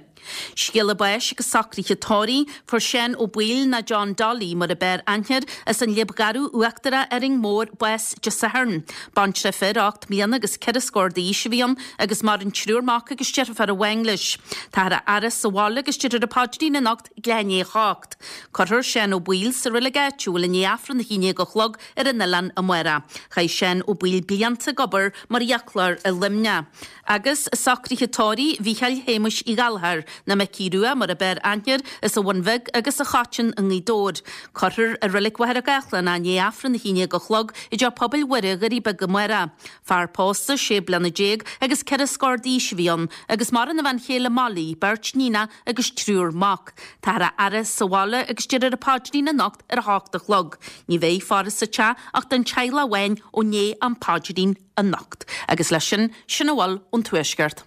Scéala báis agus socruithe tórraimh, fuair Seán Ó Baoill nó John Dolly mar a b'fhearr aithne air, as an Liab Gharbh Uachtarach, Árainn Mhór, bás Dé Sathairn. Baintreach fir, 8 mbliana agus 4 scór d'aois a bhí ann agus maireann triúr mac agus deirfiúr amháin leis. Táthar á fhaire sa bhaile agus déarfar an paidrín anocht ag leath i ndiaidh a hocht. Cuirfear Seán Ó Baoill sa reilig áitiúil i ndiaidh Aifreann a 11 a chlog ar an oileán amárach. Chaith Seán Ó Baoill blianta ag obair mar fhiaclóir i Luimneach. Agus socruithe tórraimh Mhícheáil Shéamuis Uí Ghallchóir, nó Micí Rua mar a b'fhearr aithne air, as an Bhun Bheag agus an Choiteann i nGaoth Dobhair. Cuirfear i Reilig Mhachaire Gathlán é i ndiaidh Aifreann 11 a chlog i dTeach Pobail Mhuire, Dhoirí Beaga amárach. Fear pósta, sé bliana déag agus 4 scór d'aois a bhí ann, agus maireann a bhean chéile Molly, beirt níonach agus triúr mac. Táthar á fhaire sa bhaile agus déarfar an paidrín anocht ar a hocht a chlog. Ní bheidh faire sa teach ach don teaghlach amháin ó ndiaidh an phaidrín. anocht. Agus leis sin, sin a bhfuil ón Tuaisceart.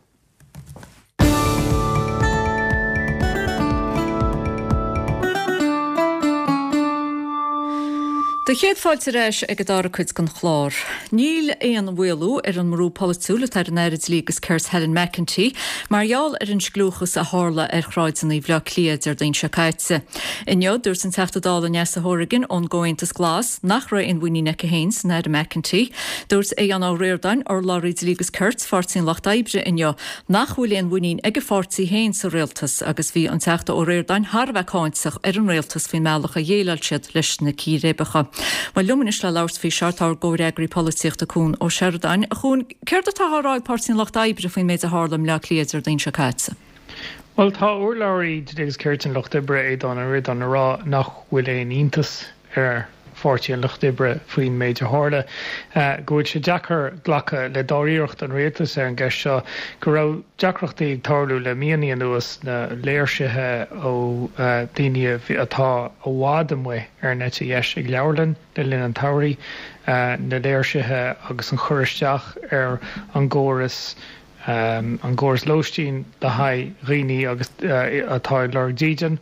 Do chéad fáilte ar ais ag an dara cuid den chlár. Níl aon mhaolú ar an mbrú polaitiúil atá ar an Aire Dlí agus Cirt Helen McEntee mar gheall ar an scliúchas a tharla ar shráideanna Bhaile Átha Cliath Déardaoin seo caite. Inniu, dúirt an Teachta Dála Neasa Hourigan ón gComhaontas Glas nach raibh aon mhuinín aici féin san Aire McEntee. Dúirt Aodhán Ó Ríordáin, urlabhraí Dlí agus Cirt, Pháirtí an Lucht Oibre inniu nach bhfuil aon mhuinín ag a pháirtí féin sa rialtas agus bhí an Teachta Ó Ríordáin thar a bheith cáinteach ar an rialtas faoin mbealach a dhéileáil siad leis na círéibeacha. Bhuel, liom anois le labhairt faoi seo tá ár gcomhfhreagraí polaitíochta Cuan Ó Seireadáin. A Chuain, céard atá á rá ag Páirtí an Lucht Oibre faoin méid a tharla i mBleá Cliath Déardaoin seo caite? Bhuel, tá urlabhraí Dlí agus Cirt an Lucht Oibre, Aodhán Ó Ríordáin, ag rá nach bhfuil aon iontas ar Pháirtí an Lucht Oibre faoin méid a tharla, go bhfuil sé deacair glacadh le dáiríreacht an rialtais ar an gceist seo, go raibh deacrachtaí ag tarlú le míonna anuas, na léirsithe ó dhaoine atá i bhfad amuigh ar an eite dheis ag leabharlann le linn an tsamhraidh, na léirsithe agus an cur isteach ar an gcóras an gcóras lóistín le haghaidh dhaoine agus atá ag lorg dídean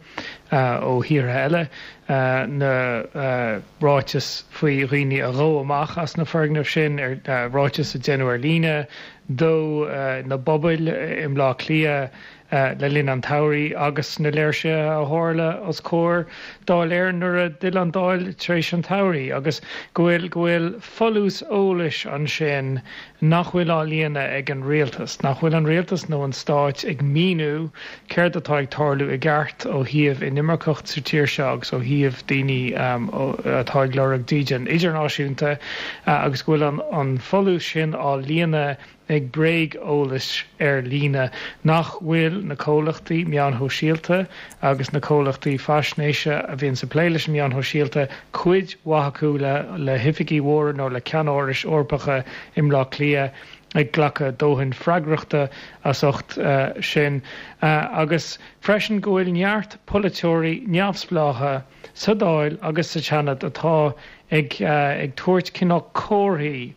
ó thíortha eile, na ráitis faoi dhaoine a dhó amach as na foirgnimh sin, ráitis a déanadh ar líne, dó na bpubaill i mBleá Cliath le linn an tsamhraidh agus na léirsithe a tharla os comhair Dáil Éireann nuair a d'fhill an Dáil tar éis an tsamhraidh agus go bhfuil go bhfuil folús eolais ansin nach bhfuil á líonadh ag an rialtas, nach bhfuil an rialtas nó an stáit ag míniú céard atá ag tarlú i gceart ó thaobh inimirceacht sa tír seo agus ó thaobh daoine atá ag lorg dídean idirnáisiúnta agus go bhfuil an folús sin á líonadh ag bréag-eolas ar líne, nach bhfuil na comhlachtaí meáin shóisialta agus na comhlachtaí faisnéise a bhíonns ag plé leis na meáin shóisialta, cuid mhaith acu le hoifigí mhóra nó le ceannárais Eorpacha i mBleá Cliath, ag glacadh dóthain freagrachta as ucht sin, agus freisin go bhfuil neart polaiteoirí neamhspleácha sa Dáil agus sa tSeanad atá ag ag tabhairt cineál comharthaí.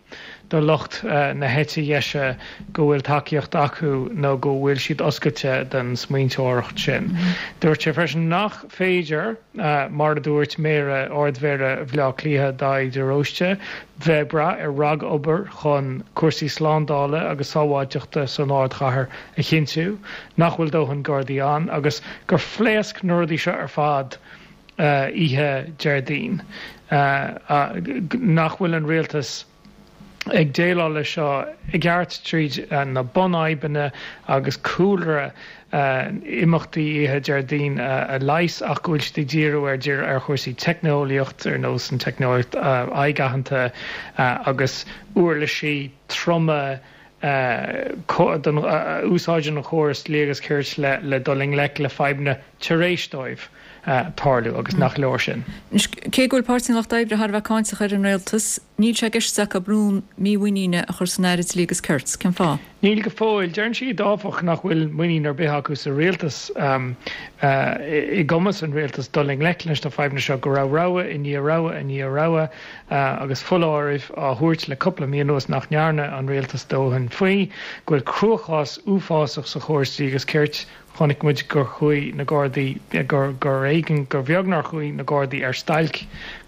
do lucht na heite dheise go bhfuil tacaíocht acu nó go bhfuil siad oscailte don smaointeoireacht sin. Dúirt sé freisin nach féidir, mar a dúirt Méara, Ard-Mhéara Bhaile Átha Cliath, Daithí de Róiste, bheith ag brath ar ragobair chun cúrsaí slándála agus sábháilteachta san ardchathair a chinntiú, nach bhfuil dóthain Gardaí ann agus gur phléasc na rudaí seo ar fad oíche Déardaoin, nach bhfuil an rialtas ag déileáil leis seo i gceart tríd na bunfhadhbanna agus cúlra imeachtaí oíche Déardaoin a leigheas ach go bhfuil siad ag díriú ar ar chúrsaí teicneolaíocht ar nós an teicneolaíocht aghaidh-aitheanta agus uirlisí troma a úsáideann an chóras dlí agus cirt le dul i ngleic le fadhbanna tar éis dóibh tarlú agus nach leor sin. Anois, cé go bhfuil Páirtí an Lucht Oibre thar a bheith cáinteach ar an rialtas, níl sé i gceist acu rún mímhuiníne a chur san Aire Dlí agus Cirt. Cén fáth? Níl go fóill. Deireann siad, áfach, nach bhfuil muinín ar bith acu sa rialtas, i gcumas an rialtais dul i ngleic leis na fadhbanna seo, go raibh rogha i ndiaidh rogha i ndiaidh rogha agus foláirimh á thabhairt le cúpla mí anuas nach ndearna an rialtas dóthain faoi, go bhfuil cruachás uafásach sa chóras dlí agus cirt. Chonaic muid gur chuaigh na Gardaí, gur gur éigean, gur bheag nár chuaigh na Gardaí ar stailc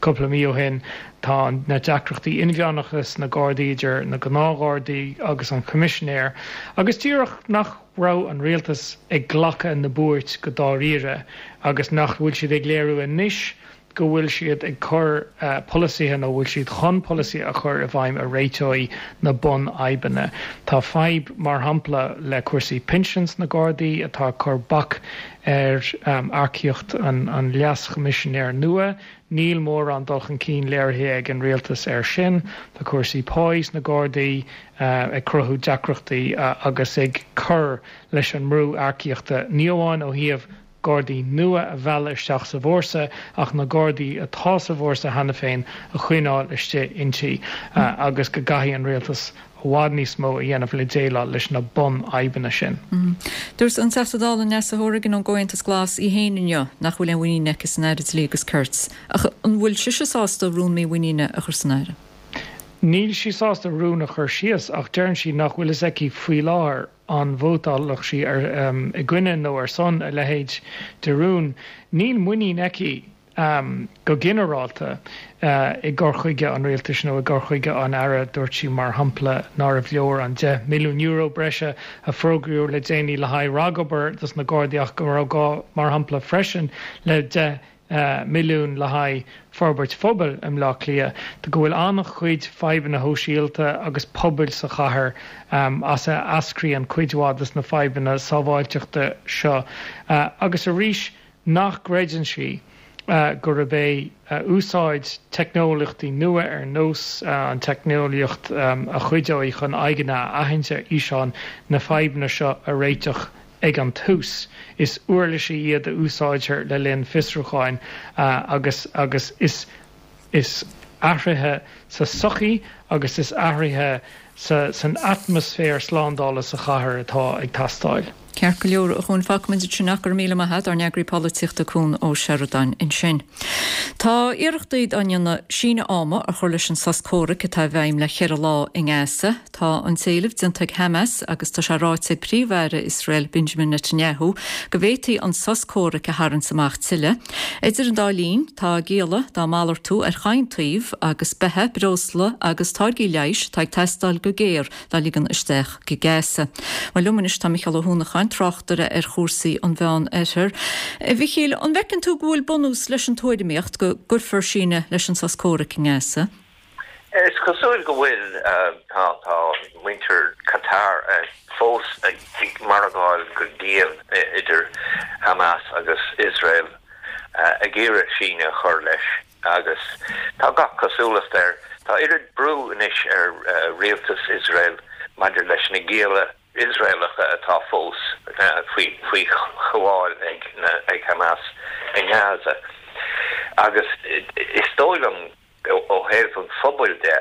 cúpla mí ó shin. Tá na deacrachtaí inmheánacha sna Gardaí idir na gnáthghardaí agus an Coimisinéir agus díreach nach raibh an rialtas ag glacadh na buairt go dáiríre agus nach bhfuil siad ag léiriú anois go bhfuil siad ag cur polasaithe nó bhfuil siad chun polasaithe a chur i bhfeidhm a réiteoidh na bunfhadhbanna. Tá fadhb, mar shampla, le cúrsaí pinsin sna Gardaí atá ag cur bac ar earcaíocht an Leas-Choimisinéir nua. Níl mórán dul chun cinn léirithe ag an rialtas air sin. Tá cúrsaí páí sna Gardaí ag cruthú deacrachtaí agus ag cur leis an mbrú earcaíochta, ní amháin ó thaobh Gardaí nua a mhealladh isteach sa bhfórsa ach na Gardaí atá sa bhfórsa cheana féin a choinneáil istigh inti agus go gcaithfidh an rialtas i bhfad níos mó a dhéanamh le déileáil leis na bunfhadhbanna sin. Dúirt an Teachta Dála Neasa Hourigan ón gComhaontas Glas í féin inniu nach bhfuil aon mhuinín aici san Aire Dlí agus Cirt. Ach an bhfuil sise sásta rún mímhuiníne a chur san Aire? Níl sí sásta rún a chur síos ach deireann sí nach bhfuil fhios aici faoi láthair an vótálfadh sí i gcoinne nó ar son a leithéid de rún. Níl muinín aici go ginearálta i gcur chuige an rialtais nó i gcur chuige an Aire. Dúirt sí, mar shampla, nárbh leor an €10 milliún breise a fógraíodh le déanaí le haghaidh ragobair dos na Gardaí ach go raibh gá, mar shampla, freisin le 10 milliún le haghaidh forbairt phobail i mBleá Cliath, go bhfuil an-chuid fadhbanna shóisialta agus pobail sa chathair as a eascraíonn cuid mhaith de na fadhbanna sábháilteachta seo agus arís nach gcreideann sí gurb é úsáid teicneolaíochtaí nua ar nós an teicneolaíocht a chuideoidh chun aghaidheanna a aithint ar fhíseáin na fadhbanna seo a réiteach Ag an tús, is uirlisí iad a úsáidtear le linn fiosrúcháin agus agus is is athruithe sa sochaí agus is athruithe sa san atmaisféar slándála sa chathair atá ag teastáil. Ceart go leor, a Chuain, fágfaimid ansin ach go raibh míle maith agat, ár n-eagraí polaitíochta Cuan Ó Seireadáin ansin. Tá iarrachtaí á ndéanamh síneadh ama a chur leis an sos comhraic atá i bhfeidhm le cheithre lá i nGaza. Tá an t-éileamh déanta ag Hamas agus tá sé ráite ag Príomh-Aire Iosrael Benjamin Netanyahu go bhféadfaí an sos comhraic a tharraingt amach tuilleadh. Idir an dá linn, tá gialla dá malartú ar chaon taobh agus beatha, breosla agus táirgí leighis atá ag teastáil go géar dá ligean isteach go Gaza. Bhuel, liom anois tá Micheál Ó hUanacháin, tráchtaire ar chúrsaí an Mheán Oirthir. A Mhichíl, an bhfeiceann tú go bhfuil bunús leis an tuairimíocht go gcuirfear síneadh leis an sos comhraic i nGaza? Is cosúil go bhfuil. Tá muintir Qatar fós ag margáil go dian idir Hamas agus Iosrael ag iarraidh síneadh a chur leis agus tá gach cosúlacht air. Tá oiread brú anois ar rialtas Iosrael maidir leis na gialla Iosraelacha atá fós faoi ghabháil ag Hamas i nGaza agus is dóigh liom Ó thaobh an phobail de,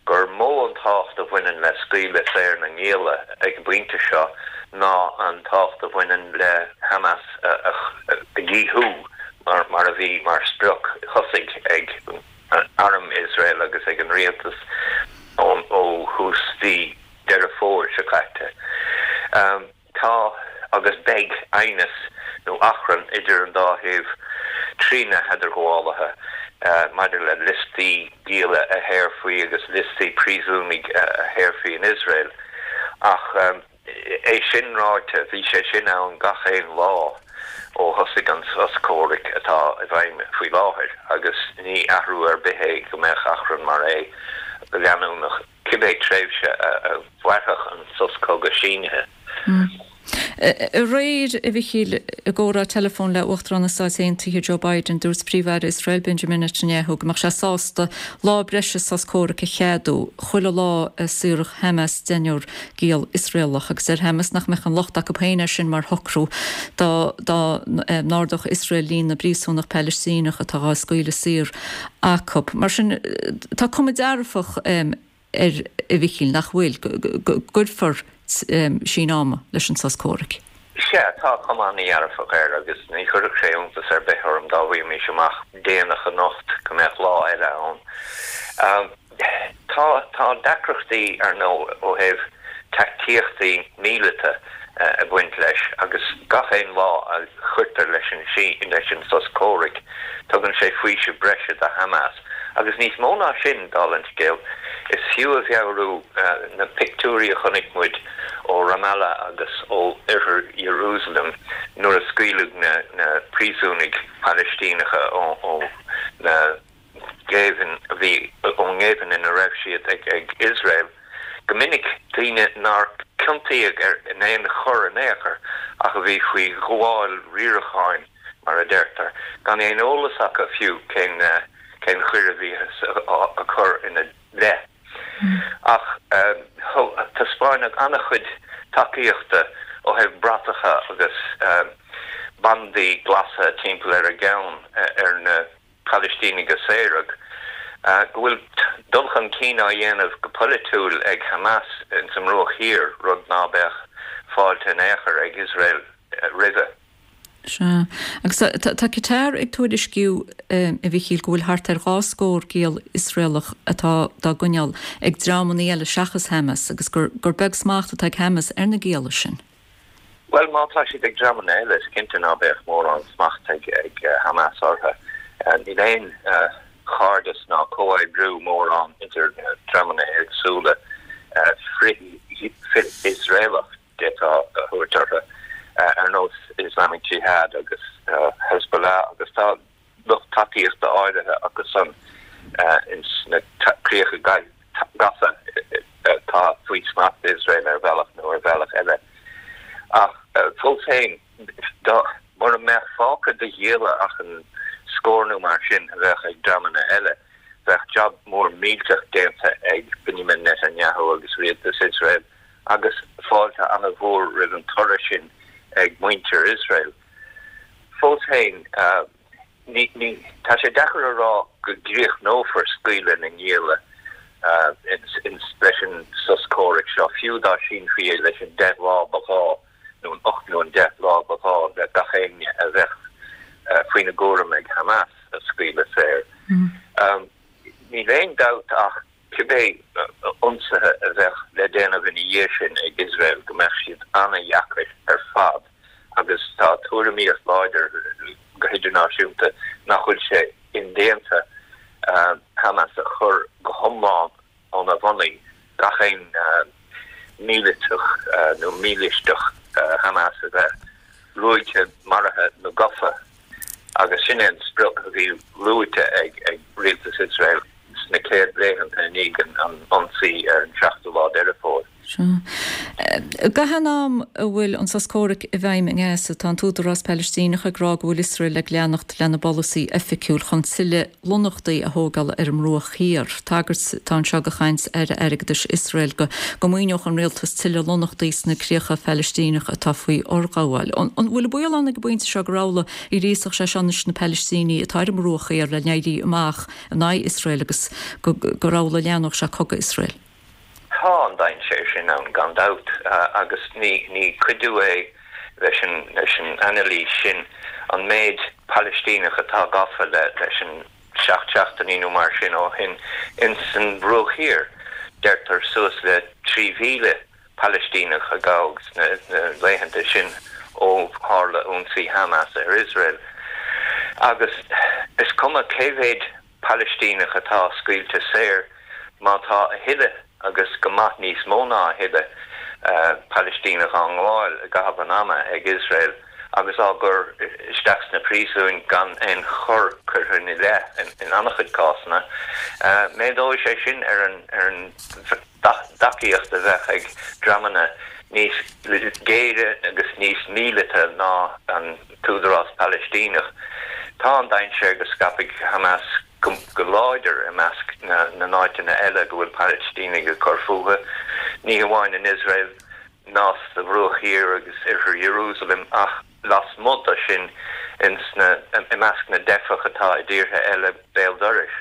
gur mó an tábhacht a bhaineann le scaoileadh saor na ngialla ag an bpointe seo ná an tábhacht a bhaineann le Hamas a dhíothú mar a bhí mar sprioc thosaigh ag arm Iosrael agus ag an rialtas ó. thús mhí Deireadh Fómhair seo caite. Tá agus beidh aighneas nó achrann idir an dá thaobh trí na headarghabhálaithe maidir le liostaí gialla a shaorfaí agus liostaí príosúnaigh a shaorfaí in Iosrael. Ach é sin ráite, bhí sé sin ann gach aon lá ó thosaigh an sos comhraic atá i bhfeidhm faoi láthair agus ní athrú ar bith é go mbeadh achrann mar é go leanúnach. cibé tréimhse a mhairfeadh an sos cogaidh sínithe. Aréir, a Mhichíl, i gcomhrá teileafóin le Uachtarán na Stáit Aontaithe Joe Biden, dúirt Príomh-Aire Iosrael Benjamin Netanyahu go mbeadh sé sásta lá breise sos comhraic a cheadú chuile lá a saorfadh Hamas deichniúr giall Iosraelach agus deir Hamas nach mbeadh aon locht acu féin air sin mar shocrú dá dá n-ardódh Iosrael líon na bpríosúnach Palaistíneach atá á scaoileadh saor acu. Mar sin, tá cuma dearfach air, a Mhichíl, nach bhfuil, go gcuirfear síneadh ama leis an sos comhraic? Sea, tá cuma an-dhearfach air agus ní chuirfeadh sé iontas ar bith orm dá bhfaighimís amach déanach anocht go mbeadh lá eile ann. Tá, tá deacrachtaí, ar ndóigh, ó thaobh taictíochtaí míleata ag baint leis agus gach aon lá a chuirtear leis an leis an sos comhraic, tugann sé faoiseamh breise do Hamas. Agus níos mó ná sin, dála an scéil, is fiú a mheabhrú na pictiúirí a chonaic muid ó Ramallah agus ó oirthear Iarúsailéim nuair a scaoileadh na na príosúnaigh Phalaistíneacha ó na géibheann a bhí ón ngéibheann ina raibh siad ag Iosrael, go minic daoine nár ciontaíodh in aon choir in aon chor ach a bhí faoi ghabháil riaracháin, mar a deirtear, gan aon eolas acu fiú cén cén choir a bhíothas á cur ina leith. Ach taispeáineadh an-chuid tacaíochta ó thaobh bratacha agus bandaí glasa timpeall ar a gceann ar na Palaistínigh a saoradh, go bhfuil dul chun cinn á dhéanamh go polaitiúil ag Hamas ins an mBruach Thiar, rud ná beadh fáilte in aon chor ag Iosrael roimhe. Sea. Agus tá Qatar ag tuairisciú, a Mhichíl, go bhfuil thart ar 2 scór giall Iosraelach atá dá gcoinneáil ag dreamanna eile seachas Hamas agus gur beag smacht atá ag Hamas ar na gialla sin. Bhuel, má tá siad ag dreamanna eile, is cinnte ná beadh mórán smacht ag Hamas orthu. Níl aon chairdeas ná comhoibriú mórán idir na dreamanna éagsúla frith-Iosraelach, d'fhéadfá a thabhairt orthu, ar nós Islamic Jihad agus Hezbollah agus tá lucht tacaíochta áirithe acu san ins na críocha gafa atá faoi smacht Iosrael ar bhealach nó ar bhealach eile. Ach fós féin, dá mura mbeadh fágtha de ghialla ach an scór nó mar sin a bheadh ag dreamanna eile, bheadh jab mór millteach déanta ag Benjamin Netanyahu agus rialtas Iosrael agus fáilte an-mhór roimh an toradh sin ag muintir Iosrael. Fós féin, ní, ní, tá sé deacair a rá go gcríochnófar scaoileadh na ngialla leis an sos comhraic seo, fiú dá sínfí é leis an 10 lá ba ghá, nó an 8 nó an 10 lá ba ghá le gach éinne a bheadh faoina gcúram ag Hamas a scaoileadh saor. Níl aon dabht ach cibé ionsaithe a bheadh le déanamh ina dhiaidh sin ag Iosrael go mbeadh siad an-dheacair ar fad agus tá tuairimíocht láidir go hidirnáisiúnta nach bhfuil sé indéanta Hamas a chur go hiomlán óna bhonnaí, gach aon míliteach nó mílisteach Hamas a bheith ruaigthe, maraithe nó gafa. Agus sin é an sprioc a bhí luaite ag rialtas Iosrael sna chéad laethanta i ndiaidh an ionsaí ar an seachtú lá Deireadh Fómhair. Sea. Gach aon am a bhfuil an sos comhraic i bhfeidhm i nGaza, tá an tÚdarás Palaistíneach ag rá go bhfuil Iosrael ag leanacht lena bpolasaí oifigiúil chun tuilleadh lonnaíochtaí a thógáil ar an mBruach Thiar. Tagairt atá anseo do chaint Aire Airgeadais Iosrael go go maoineodh an rialtas tuilleadh lonnaíochtaí sna críocha Phalaistíneacha atá faoi fhorghabháil. An bhfuil an baol ann ag an bpointe seo gur amhlaidh a ghríosfadh sé seo anois na Palaistínigh atá ar an mBruach Thiar le n-éirí amach in aghaidh Iosrael agus gur amhlaidh a leathnódh sé cogadh Iosrael? Tá an dainséar sin ann gan dabht agus ní cuidiú é leis an leis an anailís sin an méid Palaistíneach atá gafa leis an seacht seachtainí nó mar sin ó shin ins an Bhruach Thiar. Deirtear suas le 3,000 Palaistíneach a gabhadh sna laethanta sin ó tharla ionsaí Hamas ar Iosrael. Agus is cuma cé mhéad Palaistíneach atá scaoilte saor, má tá a thuilleadh, agus go maith níos mó ná a thuilleadh, Palaistíneach á ngabháil i gcaitheamh an ama ag Iosrael agus á gcur isteach sna príosúin gan aon choir curtha ina leith in an-chuid cásanna, méadóidh sé sin ar an dtacaíocht a bheadh ag dreamanna níos géire agus níos míleata ná an tÚdarás Palaistíneach. Tá an dainséar go scaipfidh Hamas go láidir i measc na n-áiteanna eile go bhfuil Palaistínigh ag cur fúthu, ní hamháin in Iosrael ná sa Bhruach Thiar agus Oirthear Iarúsailéim ach lasmuigh de sin i measc na dteifeach atá i dtíortha eile béal dorais.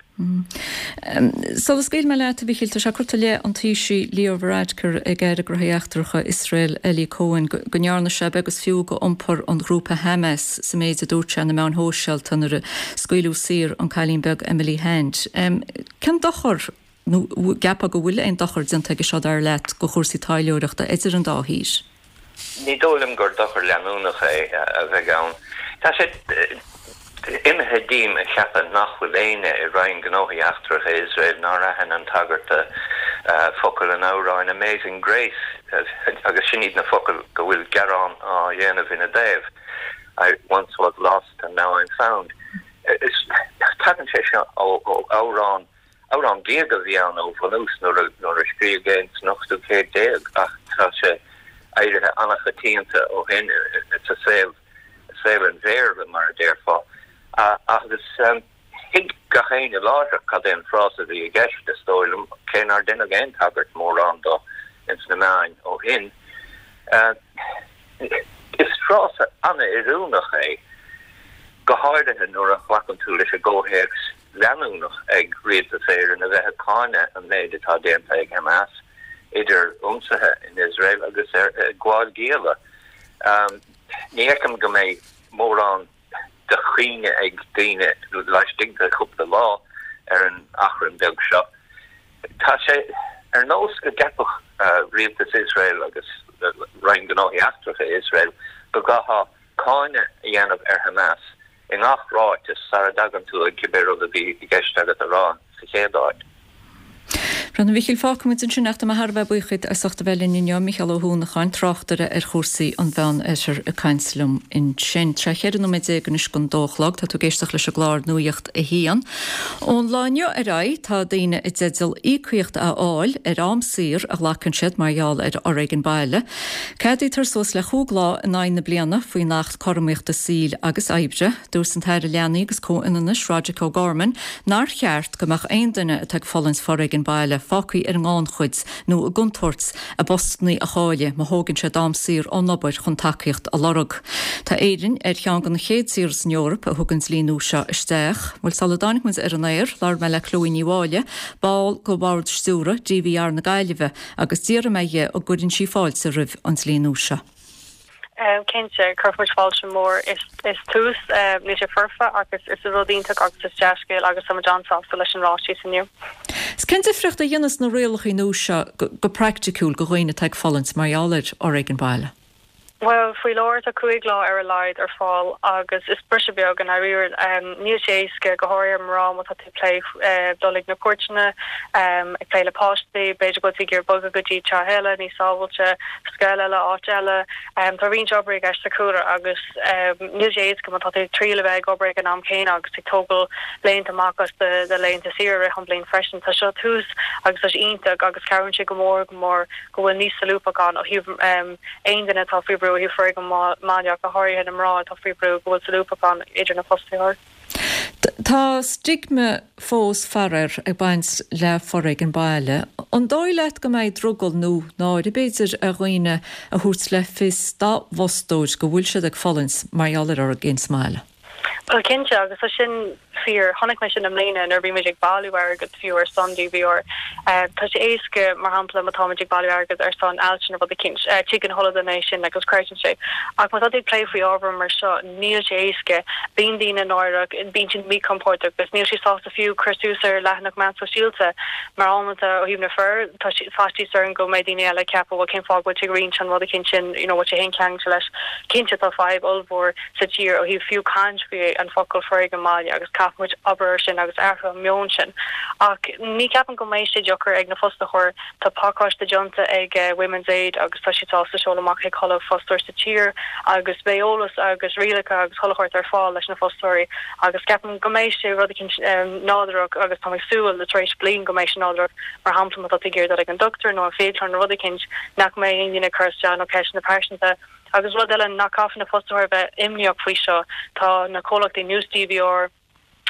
Sula scaoilfidh mé leat, a Mhichíl, tá sé curtha i leith an Taoisigh Leo Varadkar ag Aire Gnóthaí Eachtracha Iosrael Eli Cohen go ndearna sé beag is fiú d'iompar an ghrúpa Hamas sa méid a dúirt sé ar na meáin shóisialta nuair a scaoileadh saor an cailín beag Emily Hand. Cén dochar, nó an gceapfá go bhfuil aon dochar déanta aige seo, dar leat, do chúrsaí taidhleoireachta idir an dá thír? Ní dóigh liom gur dochar leanúnach é a bheidh ann. Tá sé imithe díom a cheapadh nach bhfuil éinne i Roinn Gnóthaí Eachtracha Iosrael nár aithin an tagairt do focail an amhráin Amazing Grace agus sin iad na focail go bhfuil gearán á dhéanamh ina dtaobh, I once was lost and now I'm found. Tagann sé seo ó amhrán Amhrán diaga a bhí ann ó bhunús nuair a scríobhadh é san ochtú céad déag ach tá sé éirithe an-choitianta ó shin sa saol, saol an Bhéarla mar a déarfá. Agus thuig gach éinne láithreach cad é an frása a bhí i gceist, is dóigh liom, cé nár deineadh aon tagairt mórán dó ins na meáin ó shin. Is frása an-oiriúnach é, go háirithe nuair a ghlacann tú leis an gcomhthéacs leanúnach ag Rialtas Éireann a bheith ag cáineadh an méid atá déanta ag Hamas, idir ionsaithe in Iosrael agus ar gabháil gialla. Ní fheicim go mbeidh mórán de chuimhne ag daoine laistigh de chúpla lá ar an achrann beag seo. Tá sé ar nós go gceapfadh Rialtas Iosrael agus Roinn Gnóthaí Eachtracha Iosrael go gcaithfeá cáineadh a dhéanamh ar Hamas i ngach ráiteas sara dtagann tú ag cibé rud a bhí i gceist agat a rá sa chéad áit. A Mhichíl, fágfaidh muid ansin ach tá mé thar a bheith buíoch díot as ucht a bheith linn inniu, Mícheál Ó hUanacháin, tráchtaire ar chúrsaí an Mheán-Oirthir ag caint liom ansin. Tar éis 14 nóiméad anois don dó a chlog, tá tú ag éisteacht leis an gclár Nuacht a hAon. Ón lá inniu ar aghaidh tá daoine i dteideal íocaíocht a fháil ar am saor a ghlacann siad mar gheall ar fhoréigean baile. Ceadaítear suas le chúig lá in aghaidh na bliana faoin Acht Cothromaíochta Saoil agus Oibre. Dúirt an tAire Leanaí agus Comhionannais Roderic O'Gorman nár cheart go mbeadh aon duine atá ag fulaingt foréigean baile fágtha ar an ngannchuid nó i gcontúirt a bpostanna a chailleadh má thógann siad am saor ón obair chun tacaíocht a lorg. Tá Éirinn ar cheann de na chéad tíortha san Eoraip a thug an dlí nua seo isteach. Bhuel, sula dtáinig muid ar an aer, labhair mé le Chloe Ní Mháille, ball de Bhord Stiúrtha DVR na Gaillimhe, agus d'fhiafraigh mé dhi an gcuireann sí fáilte roimh an dlí nua seo. Cinnte, cuirfidh muid fáilte mór. Is tús, níl sé foirfe ach is rud iontach agus is dea-scéal agus tá muid an-sásta leis an ráiteas inniu. 'S cén difríocht a dhéanfas na rialacha nua seo go praiticiúil do dhaoine atá ag fulaingt mar gheall ar fhoréigean baile? Bhuel, faoi láthair tá 5 lá ar a laghad ar fáil agus is briseadh beag i ndáiríre. Níl sé éasca, go háirithe ar mná má tá tú ag plé dul ag na cúirteanna, ag plé le páistí, b'fhéidir go bhfuil tú ag iarraidh bogadh go dtí teach eile níos sábháilte, scoil eile, áit eile. Tá roinnt obair i gceist sa chúlra agus níl sé éasca má tá tú ag triail a bheith ag obair ag an am céanna agus ag tógáil laethanta amach as do laethanta saoire i rith an bhliain freisin. Tá seo tús agus tá sé iontach agus cabhraíonn sé go mór go mór go bhfuil níos solúbthacht ann ó thaobh aon duine atá faoi bhrú ó thaobh foréigean baile ach go háirithe na mná atá faoi bhrú, go bhfuil solúbthacht ann idir na fostaitheoirí. Tá stigma fós, faraor, ag baint le foréigean baile. An dóigh leat go mbeidh drogall nó náire, b'fhéidir, ar dhaoine a thabhairt le fios dá bhfostóir go bhfuil siad ag fulaingt mar gheall ar fhoréigean sa mbaile? Bhuel, cinnte, agus tá sin. fíor. Chonaic mé sin i mbliana nuair a bhí muid ag bailiú airgead fiú ar son DVR. Tá sé éasca, mar shampla, má táimid ag bailiú airgead ar son ailse nó rud eicínt, tuigeann chuile dhuine é sin agus creideann sé. Ach má tá tú ag plé faoi ábhar mar seo, níl sé éasca. Bíonn daoine náireach, bíonn siad míchompordach agus níl siad sásta fiú cur suas ar leathanach meán sóisialta mar amanta ó thaobh na fir, tá faitíos orainn go mbeidh daoine eile ag ceapadh bhuel cén fáth go bhfuil tú ag roinnt an rud eicínt sin, you know, bhfuil sé féin ceangailte leis. Cinnte tá fadhb ollmhór sa tír ó thaobh fiú caint faoi an focal foréigean baile agus caithfidh muid obair ar sin agus athrú an meon sin. Ach ní ceapaim go mbeidh sé deacair ag na fostaitheoir. Tá pacáiste déanta ag Women's Aid agus tá siad sásta seoladh amach chuig chuile fostóir sa tír agus beidh eolas agus rialacha agus chuile shórt ar fáil leis na fostóirí agus ceapaim go mbeidh sé rud eicínt nádúrach agus táim ag súil tar éis bliain go mbeidh sé nádúrach mar shampla má tá tú ag iarraidh dul ag an dochtúir nó an fiaclóir nó rud eicínt nach mbeidh aon duine ag cur isteach nó ceisteanna pearsanta. Agus rud eile nach caithfidh na fostaitheoirí a bheith imníoch faoi seo, tá na comhlachtaí nós DVR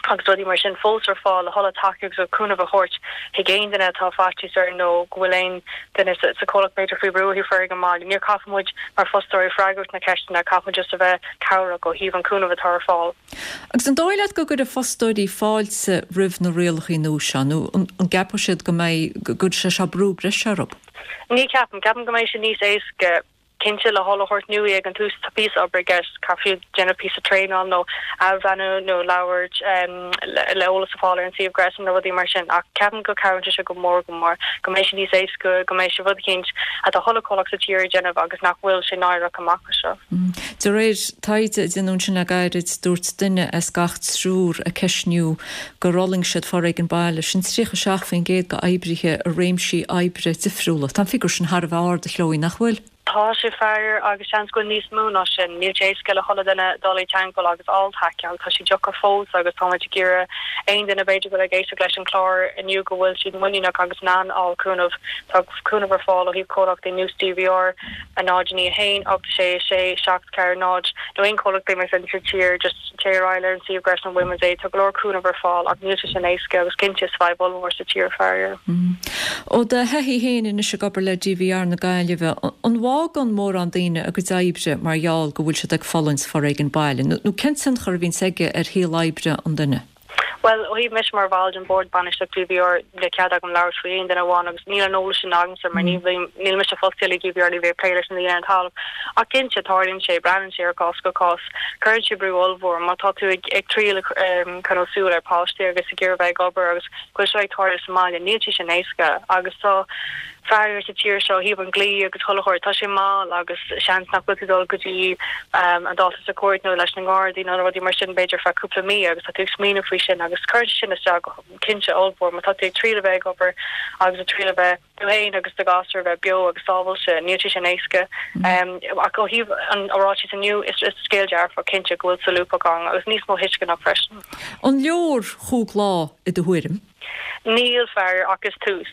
agus rudaí mar sin fós ar fáil le chuile tacaíocht agus cúnamh a thabhairt chuig aon duine atá faitíos air nó go bhfuil aon duine sa chomhlacht b'fhéidir faoi bhrú ó thaobh foréigean baile. Níor caithfidh muid mar fostóirí freagairt na ceisteanna, caithfidh muid just a bheith cabhrach ó thaobh an cúnamh atá ar fáil. Agus an dóigh leat go gcuirfidh fostóirí fáilte roimh na rialacha nua seo nó an gceapfaidh siad go mbeidh, go gcuirfidh sé seo brú breise orthu? Ní cheapaim. Ceapaim go mbeidh sé níos éasca. Cinnte, le chuile shórt nua ag an tús, tá píosa obair i gceist, caithfidh siad déanamh píosa traenáil nó athbhreithniú nó labhairt le eolas a fáil ar an suíomh gréasáin nó rudaí mar sin ach ceapaim go cabhraíonn sé seo go mór go mór, go mbeidh sé níos éasca, go mbeidh sé rud eicínt atá chuile chomhlacht sa tír ag déanamh agus nach bhfuil sé náireach amach as seo. De réir taighde a déanadh ansin le gairid, dúirt duine as gach triúr a ceistníodh gur fhulaing siad foréigean baile, sin 37% d'oibrithe i réimsí oibre difriúla. Tá an figiúr sin thar a bheith ard, a Chloe, nach bhfuil? Tá sé faraor agus seans go bhfuil níos mó ná sin. Níl sé éasca le chuile duine dul i dteangmháil agus fháil tacaíocht. Tá sé deacair fós agus táimid ag iarraidh aon duine b'fhéidir go bhfuil ag éisteacht leis an chlár inniu go bhfuil siad muiníneach agus in ann fháil cúnamh. Tá cúnamh ar fáil ó thaobh comhlachtaí nós DVR, 0 9 1 8 6 6 7 4 0 nó aon chomhlachtaí mar sin sa tír just téigh ar aghaidh ar an suíomh gréasáin Women's Aid tá go leor cúnamh ar fáil ach níl sé sin éasca agus cinnte is fadhb ollmhór sa tír faraor. Ó do thaithí féin anois ag obair le DVR na Gaillimhe, an bhfágann mórán daoine a gcuid oibre mar gheall go bhfuil siad ag fulaingt foréigean baile nó cén tionchar a bhíonns aige ar shaol oibre an duine? Bhuel, ó thaobh mise mar bhall den bhord bainistíochta DVR, níl cead agam labhairt faoi aon duine amháin agus níl an eolas sin agamsa mar ní bhím, níl mise fostaithe le DVR, ní bhím ag plé leis na daoine ar an talamh. Ach cinnte, tarlaíonn sé, braitheann sé ar chás go cás. Cuireann sé brú ollmhór má tá tú ag ag triail coinneáil súil ar páistí agus ag iarraidh bheith ag obair agus go bhfuil seo ag tarlú sa mbaile, níl sé sin éasca agus tá faraor sa tír seo ó thaobh an dlí agus chuile shórt, tá sé mall agus seans nach bhfuil tú ag dul go dtí an dáta sa chúirt nó leis na nGardaí nó rudaí mar sin b'fhéidir feadh cúpla mí agus tá tú ag smaoineamh faoi sin agus cuireann sé sin isteach go cinnte ollmhór má tá tú ag triail a bheith ag obair agus ag triail a bheith tú féin agus do ghasúr a bheith beo agus sábháilte, níl sé sin éasca. Ach ó thaobh an ráitis inniu, is scéal dearfach cinnte go bhfuil solúbthacht ann agus níos mó tuisceanach freisin. An leor chúig lá i do thuairim? Níl, faraor, ach is tús.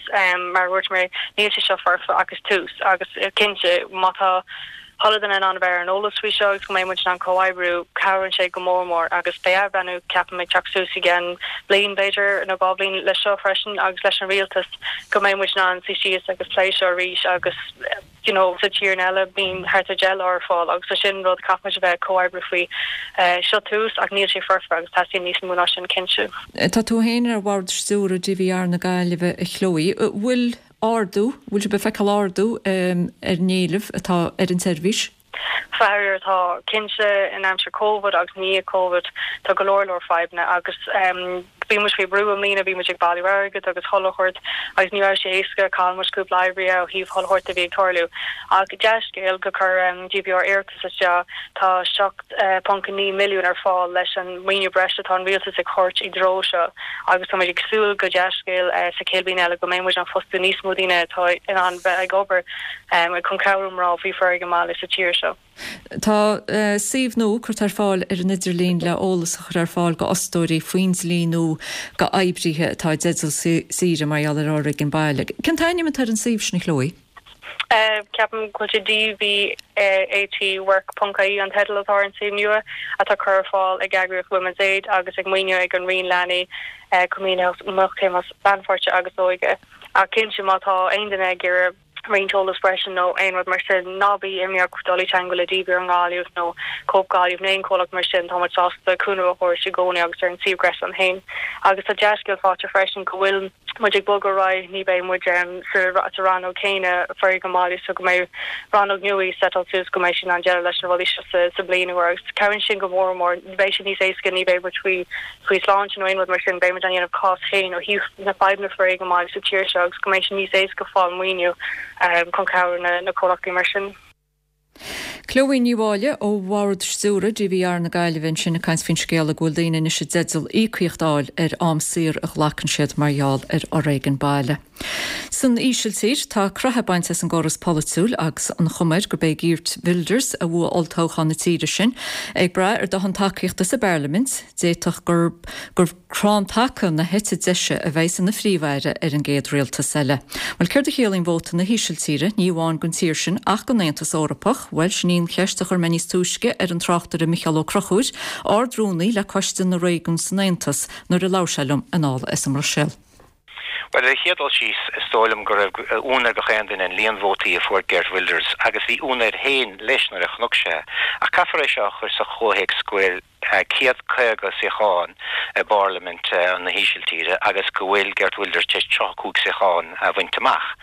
Mar a dúirt mé, níl sé seo foirfe ach is tús. Agus cinnte, má tá chuile duine in ann a bheith ar an eolas faoi seo agus go mbeidh muid in ann comhoibriú, cabhraíonn sé go mór mór. Agus beidh athbhreithniú, ceapaim, ag teacht suas i gceann bliain, b'fhéidir, nó 2 bhliain leis seo freisin agus leis an rialtas, go mbeidh muid in ann suí síos agus plé seo arís agus, you know sa tír eile bíonn thart ar 10 lá ar fáil agus so sin rud caithfidh muid a bheith ag comhoibriú faoi. Seo tús ach níl sé foirfe agus teastaíonn níos mó ná sin cinnte. Tá tú féin ar bhord stiúrtha DVR na Gaillimhe a Chloe. Bhfuil ardú, bhfuil sibh ag feiceáil ardú ar an éileamh atá ar an tseirbhís? Faraor tá, cinnte in aimsir Covid agus i ndiaidh Covid tá go leor leor fadhbanna agus Bhí muid faoi bhrú i mbliana, bhí muid ag bailiú airgid agus chuile shórt agus ní raibh sé éasca, chaill muid cúpla oibrí ó thaobh chuile shórt a bhí ag tarlú. Ach dea-scéal gur chuir DVR iarratas isteach, tá 7.9 milliún ar fáil leis an maoiniú breise atá an rialtas ag thabhairt i dtreo seo agus tá muid ag súil go dea-scéal sa chéad bhliain eile go mbeidh muid in ann fostú níos mó daoine atá in ann bheith ag obair chun cabhrú mná faoi foréigean baile sa tír seo. Tá suíomh nua curtha ar fáil ar an idirlíon le eolas a chur ar fáil go fhostóirí faoin dlí nua go oibrithe atá i dteideal saoire mar gheall ar fhoréigean baile. Cén t-ainm atá ar an suíomh sin, a Chloe? Ceapaim go bhfuil sé dvatwork ponc ie an teideal atá ar an suíomh nua atá curtha ar fáil ag eagraíocht Women's Aid agus ag maoiniú ag an Roinn Leanaí, Coimíneachta, Lannpháirte agus Óige. Ach cinnte má tá aon duine ag iarraidh. Roinnt eolas breise nó aon rud mar sin, ná bí imníoch dul i dteangmháil le DVR i nGaillimh nó Cope Gaillimh nó aon chomhlacht mar sin, tá muid sásta cúnamh a thabhairt i gcónaí agus ar an suíomh gréasáin féin. Agus tá dea-scéal faighte freisin go bhfuil muid ag bogadh ar aghaidh, ní beidh muid sa rannóg céanna foréigean baile so go mbeidh rannóg nua ag setáil suas go mbeidh siad in ann déileáil leis na rudaí seo sa bhliain úr agus cabhraíonn sin go mór mór, beidh sé níos éasca, ní beidh muid faoi faoi sláinte nó aon rud mar sin, beidh muid á dhéanamh cás féin ó thaobh na fadhbanna foréigean baile sa tír seo agus go mbeidh sé níos éasca fáil maoiniú chun cabhrú na comhlachtaí mar sin. Chloe Ní Mháille ó Bhord Stiúrtha DVR na Gaillimhe ansin ag caint faoin scéala go bhfuil daoine anois i dteideal íocaíocht a fháil ar am saor a ghlacann siad mar gheall ar fhoréigean baile. San Ísiltír, tá croitheadh bainte as an gcóras polaitiúil agus an chuma air gurb é Geert Wilders a bhuaigh olltoghchán na tíre sin. Ag brath ar dóthain tacaíochta sa bparlaimint, d'fhéadfadh gur gur crann taca na heite deise a bheas ina phríomh-aire ar an gcéad rialtas eile. Bhuel, céard a chiallaíonn vóta na hÍsiltíre, ní amháin don tír sin ach don Aontas Eorpach? Bhuel, sin í an cheist a chuir mé níos túisce ar an tráchtaire Micheál Ó Conchúir, Ard-Rúnaí le Coiste na Réigiún san Aontas, nuair a labhair sé liom anall as an mBruiséil. Bhuel, ar an chéad dul síos, is dóigh liom go raibh ionadh ar gach aon duine an líon vótaí a fuair Geert Wilders, agus bhí ionadh air féin leis nuair a chonac sé. Ach caithfear é seo a chur sa chomhthéacs go bhfuil 150 suíochán i bParlaimint na hÍsiltíre agus go bhfuil Geert Wilders tar éis 35 suíochán a bhaint amach.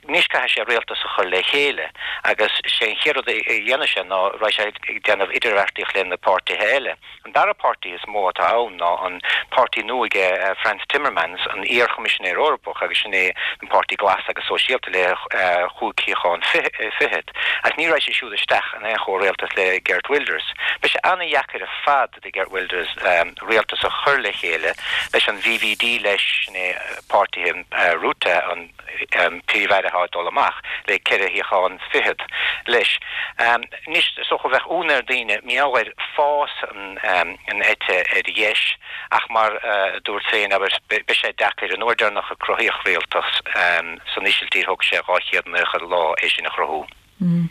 Anois caithfidh sé rialtas a chur le chéile agus sé an chéad rud a dhéanfaidh sé ná raghaidh sé ag déanamh idirbheartaíocht le na páirtithe eile. An dara páirtí is mó atá ann ná an páirtí nua aige Frans Timmermans, an iar-Choimisinéir Eorpach agus sin é an Páirtí Glas agus Sóisialta le chúig shuíochán fichead. Ach ní raghaidh sé siúd isteach in aon chomhrialtas le Geert Wilders. Beidh sé an-dheacair ar fad do Geert Wilders rialtas a chur le chéile leis an VVD leis, sin é páirtithe Rutte, an. Príomh-Aire atá ag dul amach, le ceithre shuíochán fichead leis. Anois, is dócha bheadh ionadh ar daoine mar gheall ar fás an eite ar dheis ach mar a dúrt féin, abair, beidh sé deacair. An uair deireanach a cruthaíodh rialtas san Ísiltír thóg sé 290 lá é sin a chruthú.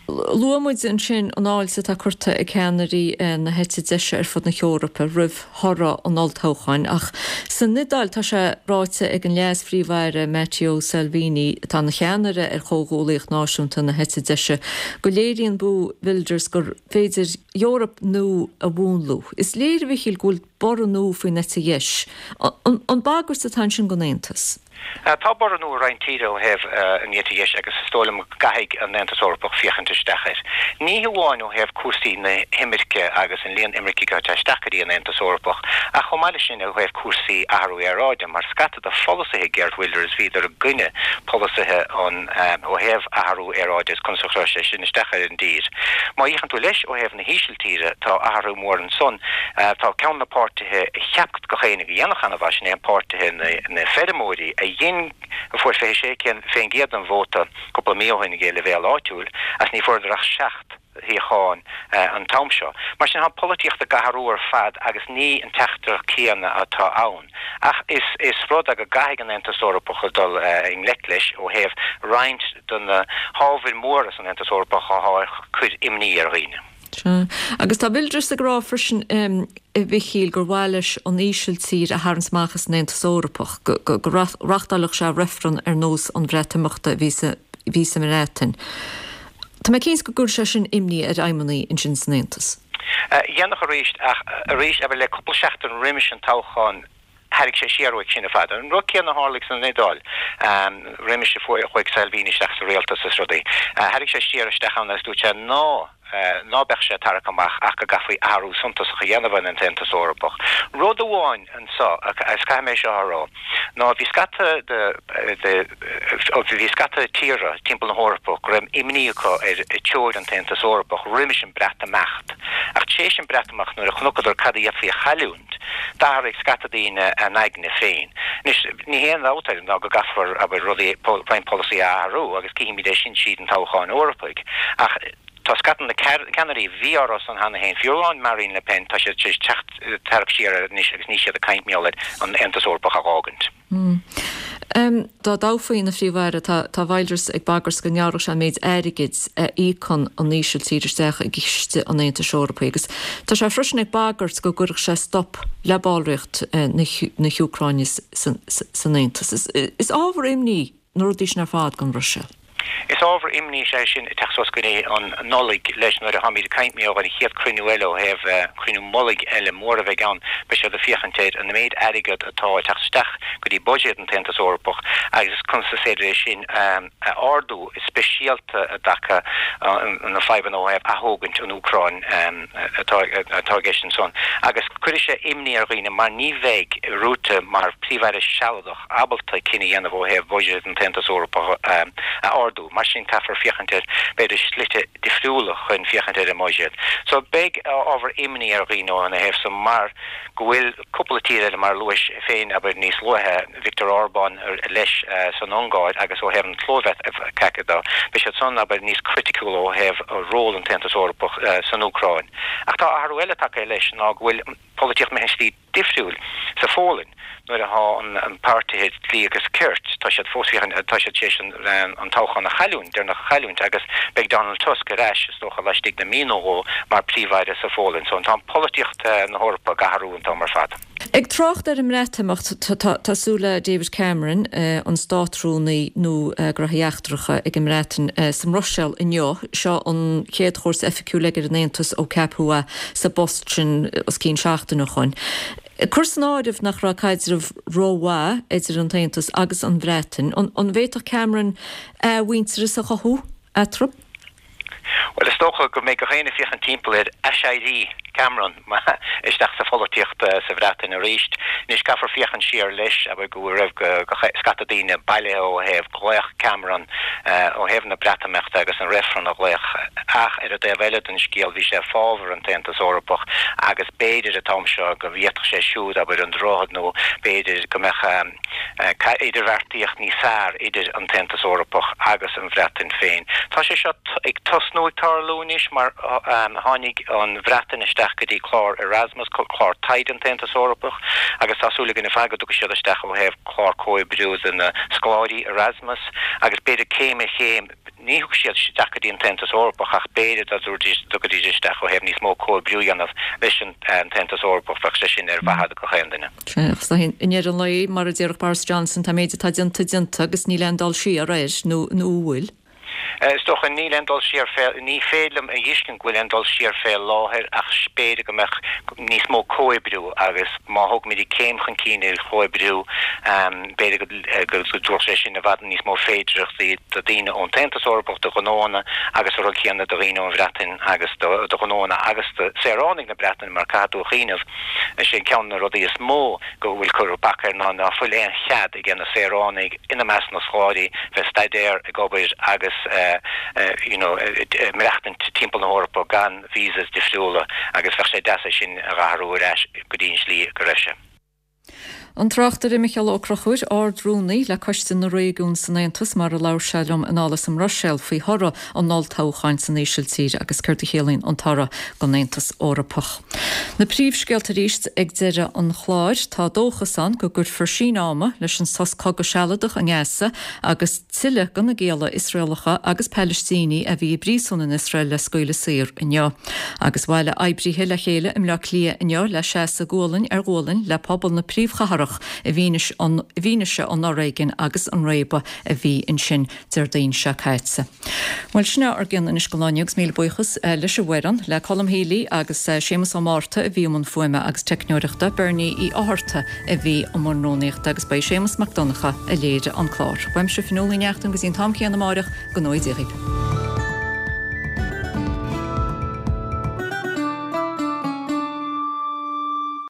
Luaigh muid ansin an fháilte atá curtha ag ceannairí na heite deise ar fud na hEorpa roimh thoradh an olltoghcháin ach san Iodáil tá sé ráite ag an Leas-Phríomh-Aire Matteo Salvini, atá ina cheannaire ar Chomhghuallaíocht Náisiúnta na heite deise, go léiríonn bua Wilders gur féidir Eoraip nua a mhúnlú. Is léir, a Mhichíl, go bhfuil borradh nua faoin eite dheis. An bagairt atá ansin don Aontas? Tá borradh nua i roinnt tíortha ó thaobh an eite dheis agus is dóigh liom go gcaithfidh an Aontas Eorpach féachaint isteach air. Ní hamháin ó thaobh cúrsaí na himirce agus an líon imircigh atá ag teacht isteach go dtí an Aontas Eorpach ach chomh maith leis sin ó thaobh cúrsaí athrú aeráide mar scata de pholasaithe Geert Wilders bhíodar i gcoinne polasaithe an ó thaobh athrú aeráide agus conas a chuirfeadh sé sin isteach ar an dtír. Má fhéachann tú leis ó thaobh na hÍsiltíre tá athrú mór ansan. Tá ceann de na páirtithe a cheap gach éinne go dhéanfadh ana-mhaith, sin é an páirtithe na feirmeoirí a dhein, a fuair 26% den vóta cúpla mí ó shin ag an leibhéal áitiúil ach ní fuaireadar ach 7 shuíochán an t-am seo. Mar sin tá an pholaitíocht ag athrú ar fad agus ní an teachtaireacht céanna atá ann. Ach is is rud é go gcaithfidh an Aontas Eorpach a dul i ngleic leis ó thaobh roinnt de na hábhair mhóra san Aontas Eorpach atá ag cur imní ar dhaoine. Sea. Agus tá Wilders ag rá freisin, a Mhichíl, gur mhaith leis an Ísiltír a tharraingt amach as an Aontas Eorpach, go reáchtálfadh sé reifreann ar nós an Bhreatimeachta a bhí sa bhí sa mBreatain. Tá mé cinnte go gcuirfeadh sé sin imní ar fheidhmeannaigh ansin san Aontas. Dhéanfadh arís, ach arís, abair, le cúpla seachtain roimis an toghchán, tharraing sé siar uaidh sin ar fad. An rud céanna a tharlaigh san Iodáil roimis a chuaigh Salvini isteach sa rialtas is rudaí. Tharraing sé siar isteach ann agus dúirt sé ná ná beadh sé ag tarrac amach ach go gcaithfí athrú suntasach a dhéanamh ar an tAontas Eorpach. Rud amháin anseo, agus caithfidh mé seo a rá, ná bhí scata de de bhí scata tíortha timpeall na hEorpa go raibh imní acu ar teoir an tAontas Eorpach roimis an Breatimeacht. Ach tar éis an Breatimeacht nuair a chonaiceadar cad a d'fhéadfaí a chailliúint, D'athraigh scata daoine a n-aigne féin. Anois, ní haon dabht air ná go gcaithfear, abair, rudaí, roinnt polasaí a athrú agus cífimid é sin tríd an toghchán Eorpaigh. Ach tá scata de na ceannairí a bhí á rá san cheana féin, fiú amháin Marine Le Pen, tá siad tar éis teacht, tarrac siar air anois agus níl siad ag caint mar gheall ar an Aontas Eorpach a dh'fhágaint. Dá dtoghfaí ina Phríomh-Aire, tá Wilders ag bagairt go ngearrfadh sé an méid airgid a íocann an Ísiltír isteach i gciste an Aontais Eorpaigh agus tá sé freisin ag bagairt go gcuirfeadh sé stop le ballraíocht na hÚcráine san Aontas. Is ábhar imní. na rudaí sin ar fad don Bhruiséil. Is ábhar imní is ea é sin ag teacht suas go dtí an Nollaig leis nuair a tháimid ag caint mar gheall ar an chéad cruinniú eile ó thaobh cruinniú mullaigh eile mór a bheidh ann. Beidh siad ag féachaint ar an méid airgead atá ag teacht isteach go dtí buiséad an tAontas Eorpach agus conas is féidir é sin a ardú, speisialta i dtaca na fadhbanna ó thaobh athógaint an Úcráin atá i gceist ansan. Agus cuirfidh sé imní ar dhaoine mar ní bheidh Rutte mar Phríomh-Aire sealadach ábalta cinneadh a dhéanamh ó thaobh buiséad an tAontas Eorpach a ardú. Mar sin caithfear féachaint ar, b'fhéidir, slite difriúla chun féachaint ar an mbuiséad. So beidh ábhar imní ar dhaoine óna thaobh san mar go bhfuil cúpla tír eile, mar a luais féin, abair, níos luaithe, Viktor Orbán leis san Ungáir agus ó thaobh an tSlóvaic de, beidh siad san, abair, níos criticiúla ó thaobh ról an tAontas Eorpach san Úcráin. Ach tá athrú eile tagtha leis ná go bhfuil polaitíocht imithe slí difriúil sa Pholainn nuair atá an páirtithe Dlí agus Cirt, tá siad fós féachaint, tá siad tar éis an toghchán a chailliúint, deireanach a chailliúint agus beidh Donald Tusk ar ais is dócha laistigh de mí nó dhó mar Príomh-Aire sa Pholainn. So tá an polaitíocht na hEorpa ag athrú an t-am ar fad. Ag trácht ar an mBreatimeacht, tá súil le David Cameron, an Státrúnaí nua Gnóthaí Eachtracha ag an mBreatain, sa mBruiséil inniu. Seo an chéad chuairt oifigiúil aige ar an Aontas ó ceapadh é sa bpost sin os cionn seachtain ó shoin. Ag cur san áireamh nach raibh caidreamh rómhaith idir an tAontas agus an Bhreatain, an bhféadfadh Cameron athmhuintearas a chothú eatarthu? Bhuel, is dócha go mbeidh gach éinne ag féachaint timpeall ar aiséirí Cameron isteach sa pholaitíocht sa Bhreatain arís. Anois, caithfear féachaint siar leis, abair, go raibh scata daoine bailithe ó thaobh glaoch Cameron ó thaobh na Breatimeachta agus an reifreann a ghlaoch ach ar an dtaobh eile den scéal bhí sé i fábhar an tAontas Eorpach agus b'fhéidir an t-am seo go bhféadfadh sé siúd, abair, an droichead nó b'fhéidir go mbeadh. idirbheartaíocht níos fearr idir an tAontas Eorpach agus an Bhreatain féin. Tá sé seo ag tosnú ag tarlú anois mar tháinig an Bhreatain isteach go dtí clár Erasmus, clár taighde an tAontas Eorpach, agus tá súil againn ar fad go dtiocfaidh siad isteach ó thaobh clár comhoibriú do na scoláirí Erasmus agus b'fhéidir céim ar chéim, Ní thiocfaidh siad isteach go dtí an tAontas Eorpach ach b'fhéidir dá dtiocfaidís isteach ó thaobh níos mó comhoibriú a dhéanamh leis an tAontas Eorpach, bheadh sé sin ar mhaithe do gach aon duine. Sea, agus i ndeireadh an lae, mar a déarfadh Boris Johnson, tá an méid atá déanta déanta agus níl aon dul siar air, nó an bhfuil? Is dócha, níl aon dul siar fé, ní féidir liom a fheiscint go bhfuil aon dul siar fé láthair ach b'fhéidir go mbeadh níos mó comhoibriú agus má thógaimid céim chun cinn ar chomhoibriú, b'fhéidir go. go dtabharfadh sé sin i bhfad níos mó féidearthachtaí do dhaoine ón tAontas Eorpach, do ghnóanna agus an rud céanna do dhaoine ón Bhreatain agus do ghnóanna agus do saoránaigh na Breataine mar caithfidh tú a chuimhneamh, is é ceann de na rudaí is mó go bhfuil curtha bac air ná ná fuil aon chead ag na saoránaigh, ina measc na scoláirí, bheith staidéar, ag obair agus you know maireachtaint timpeall na hEorpa gan visas difriúla agus bheadh sé deas é sin a dh'athrú ar ais go dtí an slí go raibh sé. An tráchtaire Micheál Ó Conchúir, Ard-Rúnaí le Coiste na Réigiún san Aontas, mar a labhair sé liom anall as an mBruiséil faoi thoradh an olltoghcháin san Ísiltír agus céard a chiallaíonn an toradh don Aontas Eorpach. Na príomhscéalta arís ag deireadh an chláir. Tá dóchas ann go gcuirfear síneadh ama leis an sos cogaidh sealadach i nGaza agus tuilleadh de na gialla Iosraelacha agus Palaistínigh a bhí i bpríosún in Iosrael le scaoileadh saor inniu. Agus bhailigh oibrithe le chéile i mBleá Cliath inniu le seasamh gualainn ar ghualainn le pobal na príomhchathrach i bhfianaise an fhoréigin agus an réabadh a bhí ansin Déardaoin seo caite. Bhuel, sin é ár gcion anois don lá inniu agus míle buíochas leis an bhfoireann, le Colm Healy agus Séamus Ó Márta a bhí i mbun fuaime agus teicneoireachta, Bernie Uí Fhátharta a bhí i mbun rúnaíochta agus ba é Séamus Mac Donncha a léirigh an clár. Uaimse Fionnuala Ní Neachtain go dtí an t-am céanna amáireach, go ngnóthaí Dia dhaoibh.